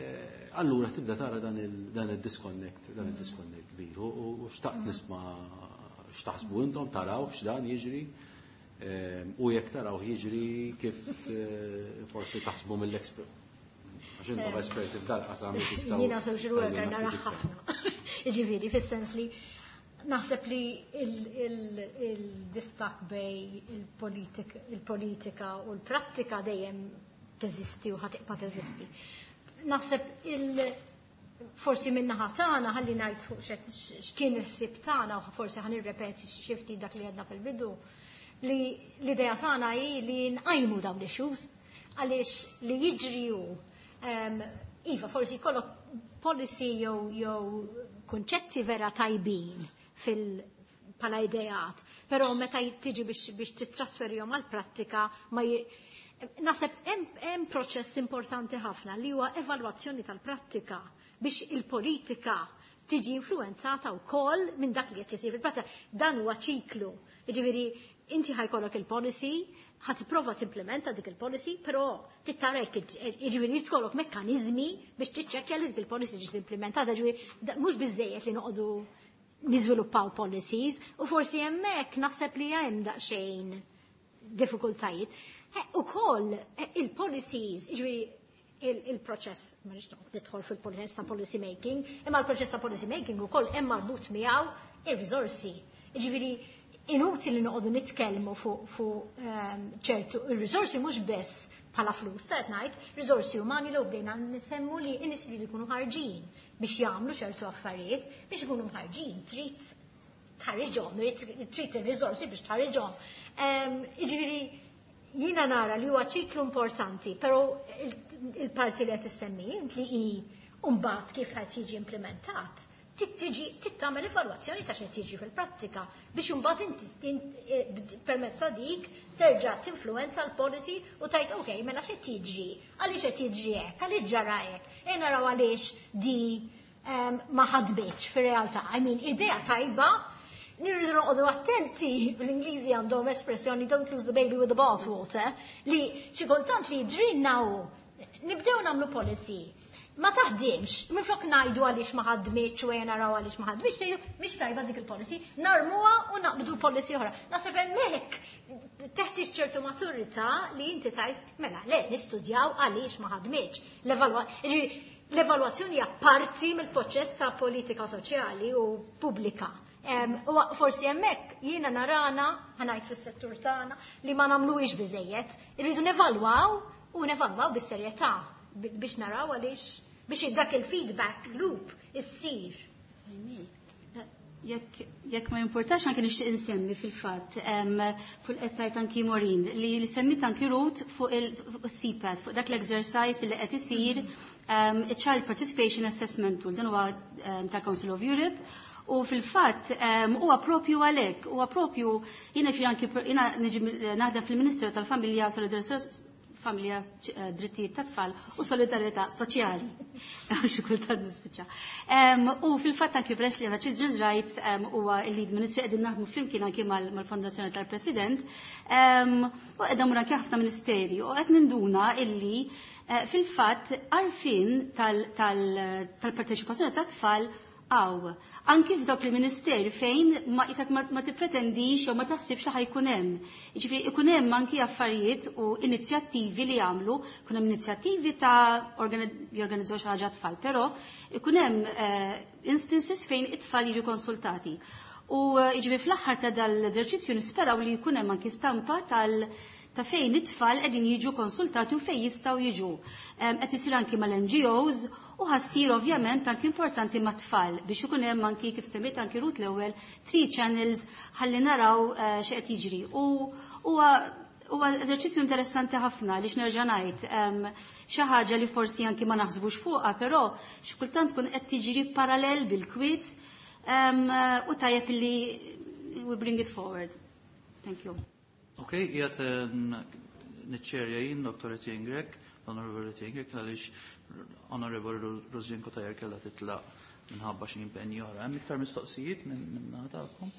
allura tibda tara dan il-disconnect, dan il-disconnect kbir. U xtaqt nisma' x'taħsbu intom, taraw x'dan jiġri, u jekk taraw jiġri kif forsi taħsbu mill-expert. Għax intom esperti f'dal qasam li tistgħu. Jiena social worker tgħidulna nara ftit iktar. ħafna. Jiġifieri fis-sens li naħseb li il-distak bejn il-politika u l-prattika dejjem teżisti u ħa tibqa' teżisti. Naħseb forsi min-naħa tagħna ħalli ngħid fuq x'kien il-ħsieb tagħna u forsi ħa nirrepeti xi ftit dak li għedna fil-bidu, li l-idea tagħna hi li nqajmu dawn l-issues għaliex li jiġri hu, iva, forsi jkollok policy jew kunċetti vera tajbin fil pala ideat, però meta tiġi biex titrasferihom għal-prattika ma naħseb hemm proċess importanti ħafna li huwa evalwazzjoni tal-prattika biex il-politika tiġi influenzata wkoll minn dak li qed isir fil-prattika. Dan huwa ċiklu. Jiġifieri inti ħa jkollok il-policy. Ħa tipprova timplementa dik il-policy, però trid tarek, jiġifieri tkollok mekkaniżmi biex tiċċekkja li dik il-policy ġiet implementata, ġifieri mhux biżejjed li noqogħdu niżviluppaw policies u forsi hemmhekk naħseb li hemm daqsxejn diffikultajiet. Ukoll il-policies, ġifieri il-proċess, ma nix nidħol fil-proċess ta' policy making, imma l-proċess ta' policy making ukoll hemm marbut miegħu ir-riżorsi. Ġifieri inutili li noqogħdu nitkellmu fuq ċertu ir-riżorsi mhux biss bħala flus, ta' ngħid, riżorsi umani li bdejna nisemmu li n-nies jridu jkunu ħarġin biex jagħmlu ċertu affarijiet, biex ikunu mħarġin, trid tħarriġhom, trid ir-riżorsi biex tħarriġhom. Jiġifieri jiena nara li huwa ċiklu importanti, però il-parti li qed issemmi int li hi mbagħad kif qed jiġi implementat, tiġi tagħmel evalwazzjoni ta' x'qed jiġi fil-prattika biex imbagħad inti permezz ta' dik terġa' tinfluwenza l-policy u tgħid, "Ok, mela x'qed jiġri, għaliex qed jiġri hekk, għaliex ġara hekk, e naraw għaliex di ma ħadmitx fir-realtà." I mean, idea tajba, nirridu noqogħdu attenti, bl-Ingliżi għandhom espressjoni "don't lose the baby with the bathwater", li xi kultant li ġrinna hu nibdew nagħmlu policy ma taħdimx, minflok ngħidu għaliex ma ħadmitx u naraw għaliex ma ħadmitx, tgħidu mhix tajba dik il-policy, narmuha u naqbdu policy oħra. Naħseb hemmhekk teħtieġ ċertu maturità li inti tgħid, "Mela, le, nistudjaw għaliex ma ħadmitx." L-evalwazzjoni hija parti mill-proċess ta' politika soċjali u pubblika. U forsi hemmhekk jiena narana, ħa ngħid fis-settur tagħna, li ma nagħmluhiex biżejjed. Irridu nevalwaw u nevalwaw bis-serjetà biex naraw għaliex, biex dak il-feedback loop issir. Jekk ma jimportax, anke nixtieq insemmi fil-fatt fuq qed tgħid anki Maureen li semmit anki Ruth fuq il-CPAT, fuq dak l-exercise li qed isir, Child Participation Assessment Tool, dan huwa ta' Council of Europe u fil-fatt huwa propju għalhekk, huwa propju jiena fi anki jiena niġi naħdem fil-Ministeru tal-Familja, Solidarità, Familja, Drittijiet ta' Tfal u Solidarità Soċjali. Xi kultant nispiċċa. U fil-fatt anki peress li għandna Children's Rights huwa il-lead ministry, qegħdin naħdmu flimkien anki mal-Fondazzjoni tal-President u qegħdin anki ħafna ministeri u qed ninduna illi fil-fatt għarfien tal-parteċipazzjoni tat-tfal għaw. Anki f'dawk il-ministeri fejn ma jisak ma tippretendix jew ma taħsibx li ħa jkun hemm. Jiġifieri ikun hemm anki affarijiet u inizjattivi li jagħmlu, ikun hemm inizjattivi ta' jorganizzaw xi ħaġa tfal, però ikun hemm instances fejn it-tfal jiġu konsultati. U jiġifieri fl-aħħar ta' dal-eżerċizzju nisperaw li jkun hemm anki stampa ta' fejn it-tfal qegħdin jiġu konsultati u fejn jistgħu jiġu. Qed isir anki mal-NGOs u ħa ssir ovvjament anki importanti mat-tfal biex ikun hemm anki, kif semmejt anki Ruth l-ewwel, three channels ħalli naraw x'qed jiġri. U huwa eżerċizzju interessanti ħafna li x'nerġa' ngħid xi ħaġa li forsi anki ma naħsbux fuqha, però xi kultant tkun qed tiġri parallel bil-kwiet u tajjeb li we bring it forward. Thank you. Ok, jgħat niċċerja jien, Dr. Etienne Grech, l-Honorable Etienne Grech, għaliex Honorable Rosianne Cutajar kellha titlaq minħabba xi impenji oħra. Hemm iktar mistoqsijiet minn tagħkom?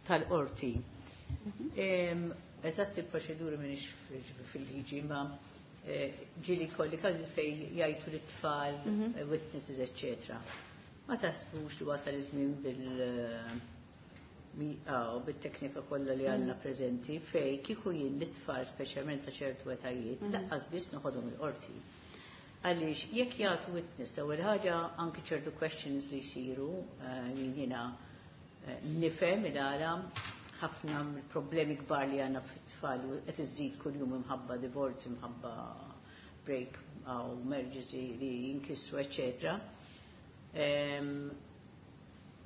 Tal-qorti. Eżatt il-proċeduri m'iniex fil-liġi, ma ġieli kelli każi fejn jgħidu l-tfal, witnesses, eccetera. Ma taħsbux li wasal iż-żmien bit-teknika kollha li għandna preżenti fejn kieku jien l-tfal, speċjalment ta' ċertu etajiet, lanqas biss noħodhom il-qorti? Għaliex jekk jagħtu witness, l-ewwel ħaġa anki ċertu questions li jsiru, jiena nifhem il-għala ħafna problemi kbar li għandna fit-tfal u qed iżid kuljum imħabba divorce, imħabba break u marriages li jinkisru, eccetera.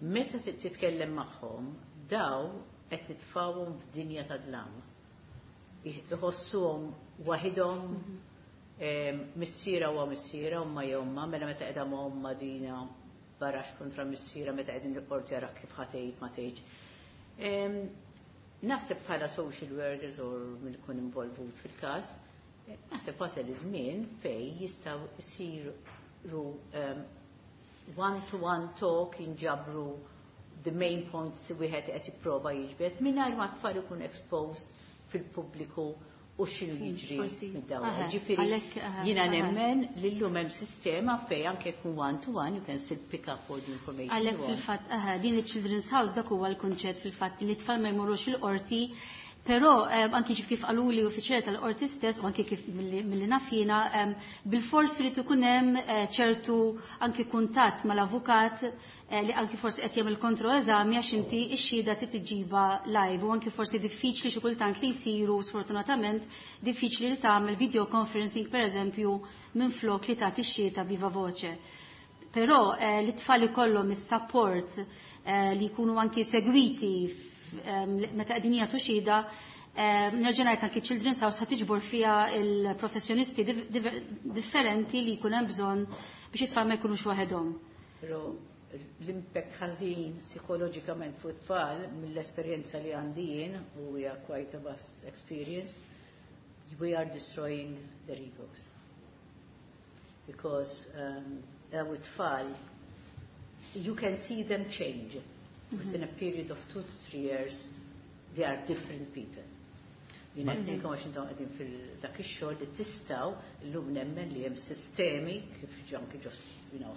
Meta titkellem magħhom, daw qed nitfawhom f'dinja ta' dlam. Iħossuhom waħidhom, missiera huwa missiera, omma jomma, mela meta qiegħda ma' omma dina barax kontra missiera, meta qegħdin il-qorti jara kif ħa tgħid ma tgħidx. Naħseb bħala social workers or min ikun involvut fil-każ, naħseb wasal iż-żmien fejn jistgħu jsiru one-to-one talk, jinġabru. the main points wieħed qed jipprova jiġbed mingħajr ma t-tfal ikun exposed fil-pubbliku u x'inhu jiġri mid-dawra. Ġifieri jiena nemmen li llum hemm sistema fejn anke jkun one to one you can still pick up all the information. Għalhekk fil-fatt din il-Children's House dak huwa l-kunċett fil-fatt li t-tfal ma jmorrux il-qorti. Però anki kif qaluli uffiċjali tal-qorti stess u anki kif milli naf jiena, bilfors irid ikun hemm ċertu anki kuntatt mal-avukat li anki forsi qed jagħmel kontroeżami, għax inti x-xhieda trid iġġibha live u anki forsi diffiċli xi kultant li jsiru, sfortunatament diffiċli li tagħmel video conferencing pereżempju minflok li tagħti x-xhieda viva voce. Però li t-tfal ikollhom is-support li jkunu anki segwiti meta qegħdin jagħtu xhieda, nerġa' ngħid, anki Children's House ħa tiġbor fiha il-professjonisti differenti li jkun hemm bżonn biex it-tfal ma jkunux waħedhom. Però l-impact ħażin psikoloġikament fuq it-tfal, mill-esperjenza li għandi jien, u hija quite a vast experience, we are destroying their egos. Because daw it-tfal, you can see them change. Within a period of 2 to 3 years, they are different people. Jiena ngħidilkom għax intom qegħdin fil-dak ix-xogħol li tistgħu llum nemmen li hemm sistemi kif anke ġo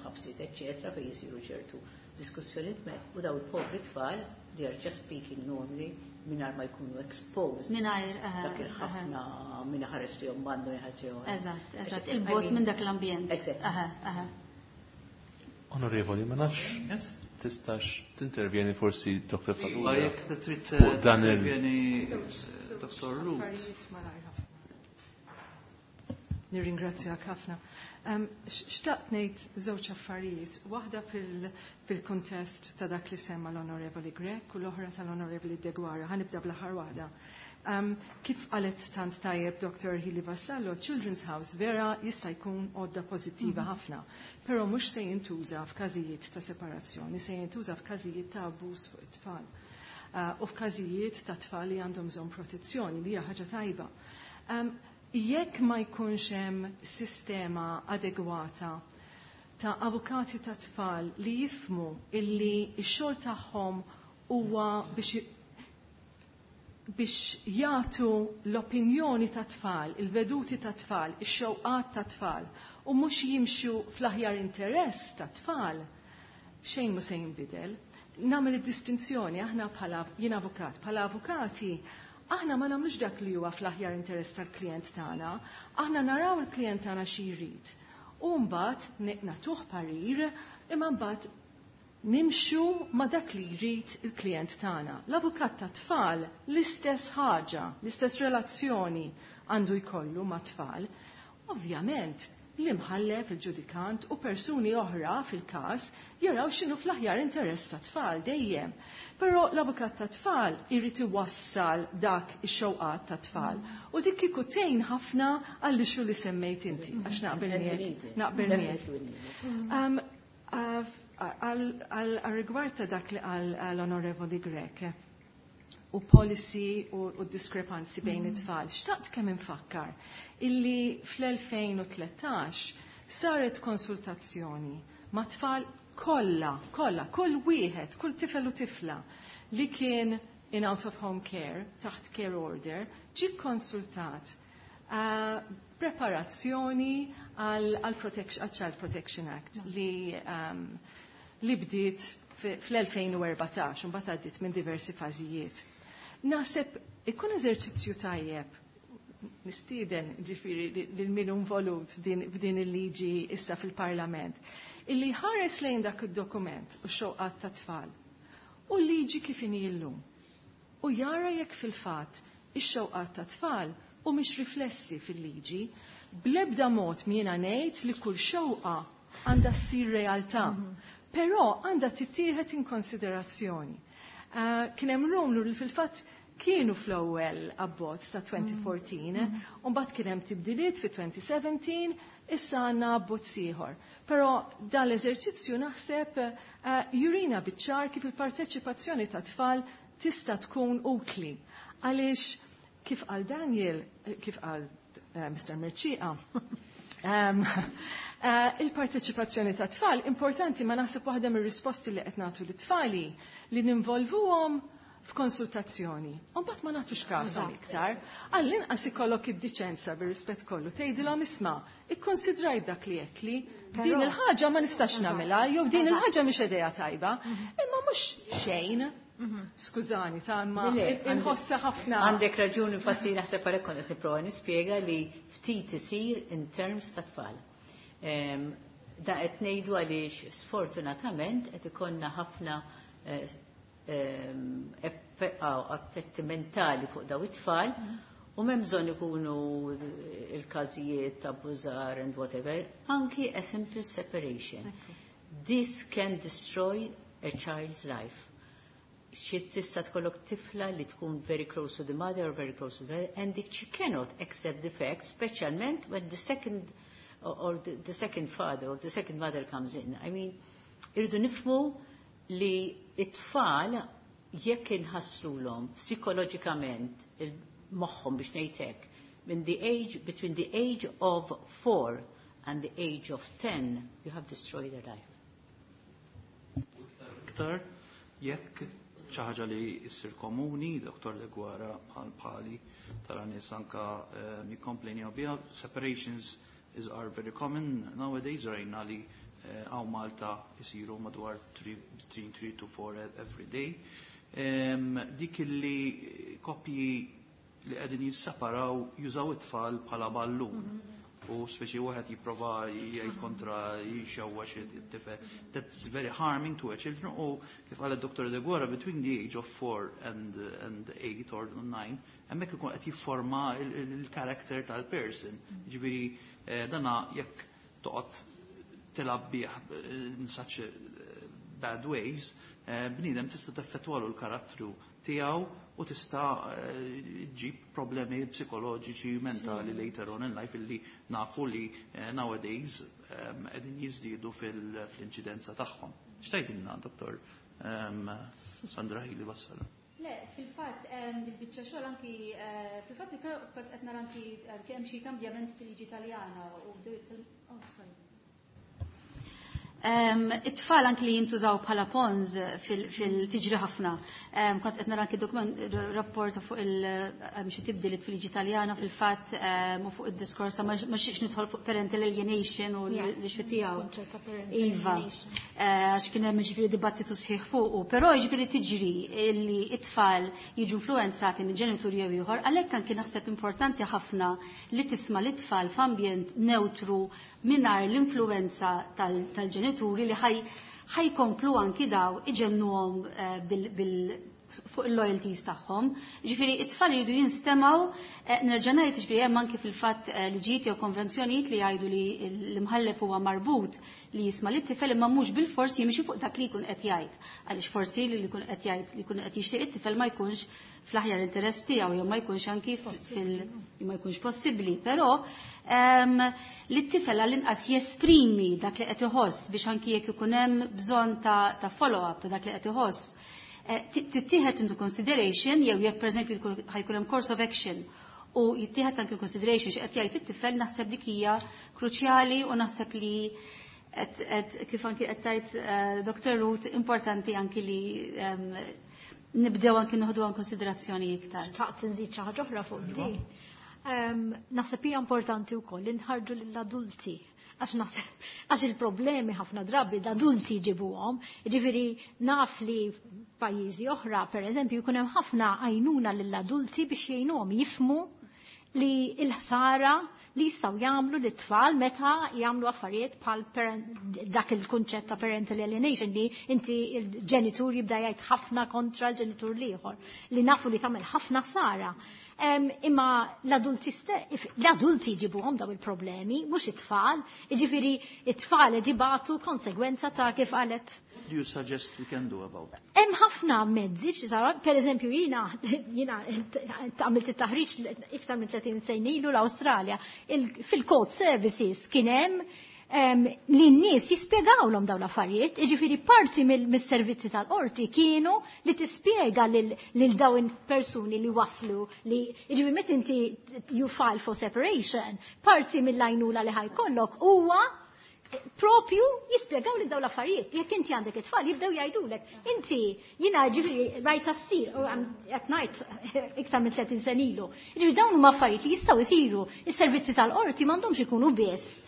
ħabsiet eċċetera fejn jisiru ċertu diskussjonijiet u daw il-povri tfal, they are just speaking normally mingħajr ma jkunu exposed. Mingħajr, Dak il-ħafna minn ħares li bandu jħaġġew. Eżatt, il-bogħod minn dak l-ambjent. Onorevoli, ma nafx tistax tintervjeni forsi Dr. Farrugia. Jekk trid Fuq dan il- tintervjeni, Dr. Ruth. Affarijiet malajr ħafna. Nirringrazzjak ħafna. Xtaqt ngħid żewġ affarijiet, waħda fil-kuntest ta' dak li semma l-Onorevoli Grech u l-oħra tal-Onorevoli Deguara. Ħa nibda bl-aħħar waħda. Kif qalet tant tajjeb Dr. Hili Vassallo, Children's House vera jista' jkun għodda pożittiva ħafna, però mhux se jintuża f'każijiet ta' separazzjoni, se jintuża f'każijiet ta' abbuż fuq it-tfal. U f'każijiet ta' tfal li għandhom bżonn protezzjoni, li hija ħaġa tajba. Jekk ma jkunx hemm sistema adegwata ta' avukati ta' tfal li jifhmu illi x-xogħol tagħhom huwa biex jagħtu l-opinjoni ta' tfal, il-veduti ta' tfal, ix-xewqat ta' tfal, u mhux jimxu fl-aħjar interess ta' tfal, xejn mhu se jinbidel. Nagħmel id-distinzjoni, aħna bħala, jien avukat, bħala avukati aħna ma nagħmlux dak li huwa fl-aħjar interess tal-klient tagħna, aħna naraw il-klient tagħna xi jrid. U mbagħad nagħtuh parir, imma mbagħad nimxu ma dak li jrid il-klient tagħna. L-avukat ta' tfal l-istess ħaġa, l-istess relazzjoni għandu jkollu ma' tfal. Ovvjament, l-imħallef, il-ġudikant u persuni oħra fil-każ jaraw x'inhu fl-aħjar interess ta' tfal dejjem. Però l-avukat ta' tfal irid iwassal dak ix-xewqat ta' tfal. U dik kieku tgħin ħafna għall-issue li semmejt inti, għax naqbel miegħek. Naqbel miegħek. Għal rigward ta' dak li qal l-Onorevoli Grech u policy u diskrepanzi bejn it-tfal. Xtaqt kemm infakkar illi fl-2013 saret konsultazzjoni ma' tfal kollha, kollha, kull wieħed, kull tifel u tifla li kien in out of home care, taħt care order, ġi konsultat preparazzjoni għal Child Protection Act li bdiet fl-2014, mbagħad għaddiet minn diversi fażijiet. Naħseb ikun eżerċizzju tajjeb, nistieden ġifieri lil min involut f'din il-liġi issa fil-Parlament, illi ħares lejn dak id-dokument u xewqat ta' tfal u l-liġi kif inhi llum. U jara jekk fil-fatt ix-xewqat ta' tfal u mhix riflessi fil-liġi, blebda mod m'jiena ngħid li kull xewqa għandha ssir realtà. Però għandha tittieħed in konsiderazzjoni. Kien hemm rumlu li fil-fatt kienu fl-ewwel abbozz ta' 2014, u mbagħad kien hemm tibdiliet fi 2017, issa għandna abbozz ieħor. Però dan l-eżerċizzju naħseb jurina biċ-ċar kif il-parteċipazzjoni ta' tfal tista' tkun utli. Għaliex kif qal Daniel, kif qal Mr. Mercieca, Il-parteċipazzjoni ta' tfal importanti, ma naħseb waħda mir-risposti li qed nagħtu lit-tfali li ninvolvuhom f'konsultazzjoni. U mbagħad ma nagħtux kashom iktar. Għall-inqas ikollok id-diċenza bir-rispett kollu tgħidilhom, "Isma', ikkonsidraj dak li qedli, din il-ħaġa ma nistax nagħmilha jew din il-ħaġa mhix idea tajba." Imma mhux xejn. Skużani, ta' imma inħossa ħafna. Għandek raġun, infatti naħseb għalhekk kont qed nipprova nispjega li ftit isir in terms ta' tfal. Da qed ngħidu għaliex sfortunatament qed ikollna ħafna effetti mentali fuq daw it-tfal u m'hemm bżonn ikunu il-każijiet ta' abbużar and whatever, anki a simple separation. This can destroy a child's life. Xi tista' tkollok tifla li tkun very close to the mother or very close to the father, and she cannot accept the fact, speċjalment when the second or the second father or the second mother comes in. I mean, irridu nifhmu li it-tfal jekk inħasslulhom psikoloġikament il-moħħhom, biex ngħidlek, min the age between the age of 4 and the age of 10, you have destroyed their life. Iktar jekk xi ħaġa li issir komuni, Dr. Deguara bħal bħali tara nies anka jikkomplejnjaw biha, separations is are very common nowadays. Rajna li hawn Malta jisiru madwar 3 to 4 every day. Dik li koppji li qegħdin jisseparaw jużaw it-tfal bħala ballun. U speċi wieħed jipprova jgħid kontra, jxewwax it-tifel. That's very harming to a children, u kif qal id-Dr. Deguara, between the age of 4 and 8 or 9, hemmhekk ikun qed jifforma il-character tal-person. Ġifieri dana jekk toqgħod tilgħab bih in such bad ways, bniedem tista' teffettwalu l-karattru tiegħu u tista' ġib problemi psikoloġiċi, mentali later on in life, illi nafu li nowadays qegħdin jiżdiedu fil-inċidenza tagħhom. X'tgħidilna, Dr. Sandra Hili Vassalo? Le, fil-fatt, il-biċċa xogħol anki, fil-fatt kont qed nara anki hemm xi kambjament fil-liġi Taljana u bdew, oh, sorry. It-tfal anki li jintużaw bħala pawns fil-tiġri ħafna. Kont qed nara anki dokument, rapport fuq il xi tibdiliet fil-liġi Taljana fil-fatt u fuq id-diskors, ma xiex nidħol fuq parental alienation u l-issue tiegħu. Kunċett ta' parental Iva. alienation. Għax kien hemm ġifieri dibattitu sħiħ fuqu, però jiġifieri tiġri li it-tfal jiġu influenzati minn ġenitur jew ieħor, għalhekk anki naħseb importanti ħafna li tisma' l-itfal f'ambjent neutru mingħajr l-influenza tal-ġenituri li ħajkomplu anki daw iġennuhom fuq il-loyalties tagħhom. Ġifieri it-tfal jridu jinstemaw, nerġa' ngħid, ġifieri hemm anki fil-fatt liġijiet jew konvenzjonijiet li jgħidu li l-imħallef huwa marbut li jisma' lit-tifel, imma mhux bil-fors jimxi fuq dak li jkun qed jgħid. Għaliex forsi li jkun qed jgħid, li jkun qed jixtieq it-tifel ma jkunx fl-aħjar interess tiegħu jew ma jkunx anki fil ma jkunx possibbli, però li t-tifel għall-inqas jesprimi dak li qed iħoss biex anki jekk ikun hemm bżonn ta' follow-up ta' dak li qed iħoss, tittieħed into consideration, jew jekk pereżempju ħajkun hemm course of action u jittieħed anke consideration x'qed jgħid it-tifel, naħseb dik hija kruċjali u naħseb li kif anki qed tgħid Dr. Ruth, importanti anki li nibdew anki noħdu għan konsiderazzjoni iktar. Xtaqt nżid xi ħaġa oħra fuq di. Naħseb hija importanti wkoll li nħarġu lill-adulti, għax naħseb għax il-problemi ħafna drabi l-adulti jġibuhom. Ġifieri naf li pajjiżi oħra, pereżempju, jkun hemm ħafna għajnuna lill-adulti biex jgħinuhom jifhmu li l-ħsara li jistgħu jagħmlu lit-tfal meta jagħmlu affarijiet bħal dak il-kunċett ta' parental alienation, li inti il-ġenitur jibda jgħid ħafna kontra l-ġenitur l-ieħor, li nafu li tagħmel ħafna ħsara. Imma l-adulti jġibuhom daw il-problemi, mhux it-tfal, jiġifieri it-tfal ibatu konsegwenza ta' kif qalet. What do you suggest we can do about it? Hemm ħafna mezzi, xi sara, per eżempju jiena għamilt it-taħriġ iktar minn 30 sena ilu l-Awstralja, fil-court services kien hemm li n-nies jispjegawlhom dawn l-affarijiet, jiġifieri parti mis-servizzi tal-qorti kienu li tispjega lil dawn persuni li waslu li jiġifieri meta inti you file for separation, parti mill-għajnuna li ħajkollok huwa Propju jispjegaw li dawn l-affarijiet. Jekk inti għandek it-tfal jibdew jgħidulek. Inti jiena ġifieri rajta ssir u qed ngħid iktar minn 30 sen ilu. Ġifieri dawn huma affarijiet li jistgħu jsiru. Is-servizzi tal-qorti m'għandhomx ikunu biss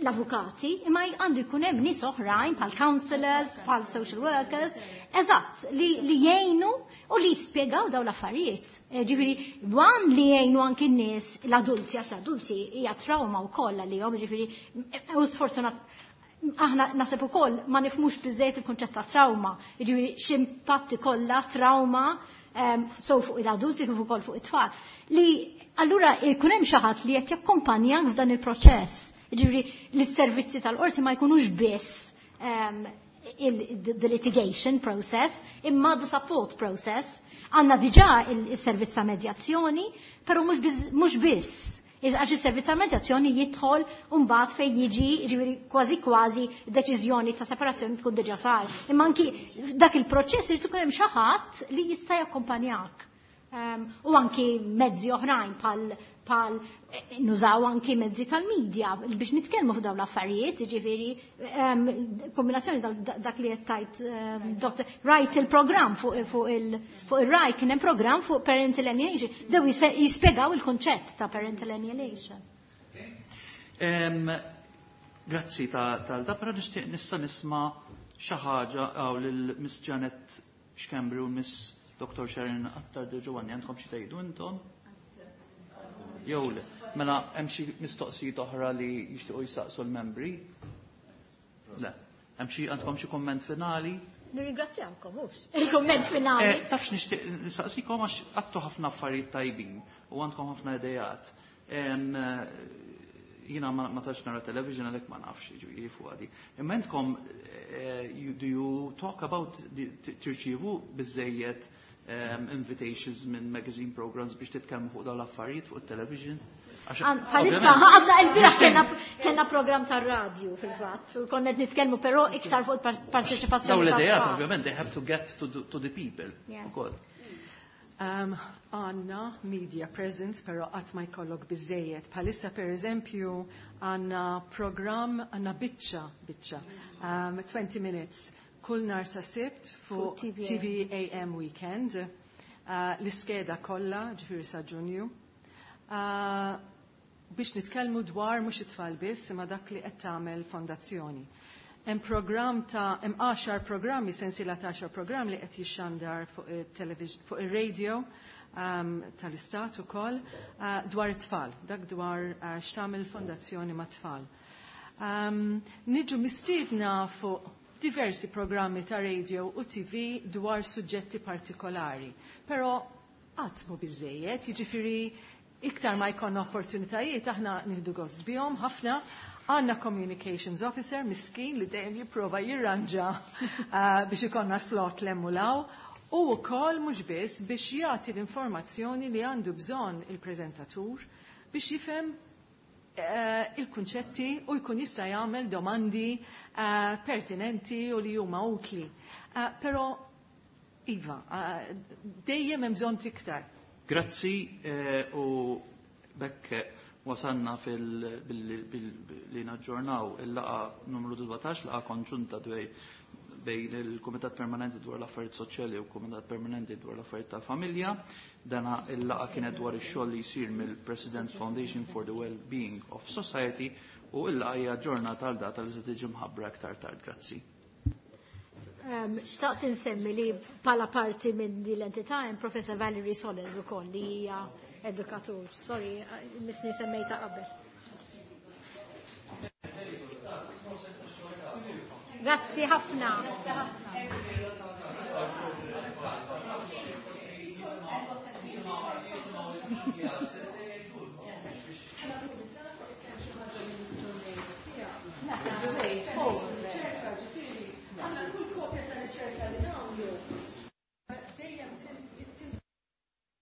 l-avukati, imma għandu jkun hemm nies oħrajn bħal counselors, bħal social workers, eżatt, li, li jgħinu u li jispjegaw dawn l-affarijiet. Ġifieri, wan li jgħinu anki n-nies l-adulti, għax l-adulti hija trauma wkoll għalihom, ġifieri, u sfortunat aħna naseb ukoll ma nifhmux biżejjed il-kunċett ta' trauma, jiġifieri x'impatt ikollha trauma sew fuq l-adulti kif ukoll fuq it-tfal. Li allura jkun hemm xi ħadd li qed jakkompanjak f'dan il-proċess. Jiġifieri li s-servizzi tal-qorti ma jkunux biss the litigation process, imma the support process. Għandna diġà il-servizz ta' medjazzjoni, però mhux biss. Għax is-servizz ta' medjazzjoni jidħol mbagħad fejn jiġi ġifieri kważi kważi deċiżjoni ta' separazzjoni tkun diġà sar. Imma anki dak il-proċess irid ikun hemm xi ħadd li jista' jakkompanjak. U anki mezzi oħrajn pal nużaw anki mezzi tal-medja biex nitkellmu f'dawn l-affarijiet, ġifieri kombinazzjoni dak li qed tajt Dr. Rajt il-programm fuq il-Rai kien hemm programm fuq parental alienation, dew jispjegaw il-kunċett ta' parental alienation. Grazzi tal-da, però nixtieq nista' nisma' xi ħaġa hawn lil Miss Janet Schembri u Miss Dr. Sharon Attard Giovanni, għandkom xi tgħidu intom? Jew le. Mela hemm xi mistoqsijiet oħra li jixtiequ jistaqsu l-membri? Le. Hemm xi għandkom xi komment finali? Nirringrazzjawkom, hux. Il-komment finali. Tafx nixtieq nistaqsikom għax għattu ħafna affarijiet tajbin u għandkom ħafna idejat. Jiena ma tantx nara television għalhekk ma nafx jiġifieri fuq għadi. Imma intkom do you talk about tirċievu biżejjed invitations minn magazine programs biex titkellmu fuq dawn l-affarijiet fuq it-television? Bħalissa, għadna il-bieraħ kellna program tar-radju fil-fatt, u konna qed nitkellmu però iktar fuq parteċipazzjoni. Dawn l-idejat ovvjament they have to get to the people ukoll. Għandna media presence, pero qatt ma jkollok biżejjed. Bħalissa per eżempju għandna program, għandna biċċa, 20 minutes, kull nhar ta' Sibt fuq Fuq TV AM Weekend. L-iskeda kollha, ġifieri sa' Ġunju. Biex nitkellmu dwar mhux it-tfal biss, imma dak li qed tagħmel fondazzjoni. Hemm programm ta' hemm 10 programmi, sensiela ta' 10 programm li qed jixxandar fuq it-television, fuq ir-radio tal-istat ukoll dwar it-tfal, dak dwar x'tagħmel fondazzjoni mat-tfal. Niġu mistiedna fuq diversi programmi ta' radio u TV dwar suġġetti partikolari, però qatt mhu biżejjed, jiġifieri iktar ma jkollna opportunitajiet aħna nieħdu gost bihom ħafna. Għandna communications officer miskin li dejjem jipprova jirranġa biex ikollna slot l-emmulaw u wkoll mhux biss biex jagħti l-informazzjoni li għandu bżonn il-preżentatur biex jifhem il-kunċetti u jkun jista' jagħmel domandi pertinenti u li huma utli. Però iva, dejjem hemm bżonn iktar. Grazzi u bekk wasanna li naġġornaw il-laqa numru 17, laqa konġunta bejn il-Kumitat Permanenti dwar l-Affarijiet Soċjali u l-Kumitat Permanenti dwar l-Affarijiet tal-Familja. Dana il-laqa kienet dwar ix-xogħol li jsir mill-President's Foundation for the Well-Being of Society u il-laqa hija ġurnata għal data li se tiġi mħabbra aktar tard. Grazzi. Xtaqt insemmi li bħala parti minn din l-entità hemm Professor Valerie Soles ukoll li hija edukatur. Sorry, misni semmejta qabel. Grazzi ħafna. Grazzi ħafna.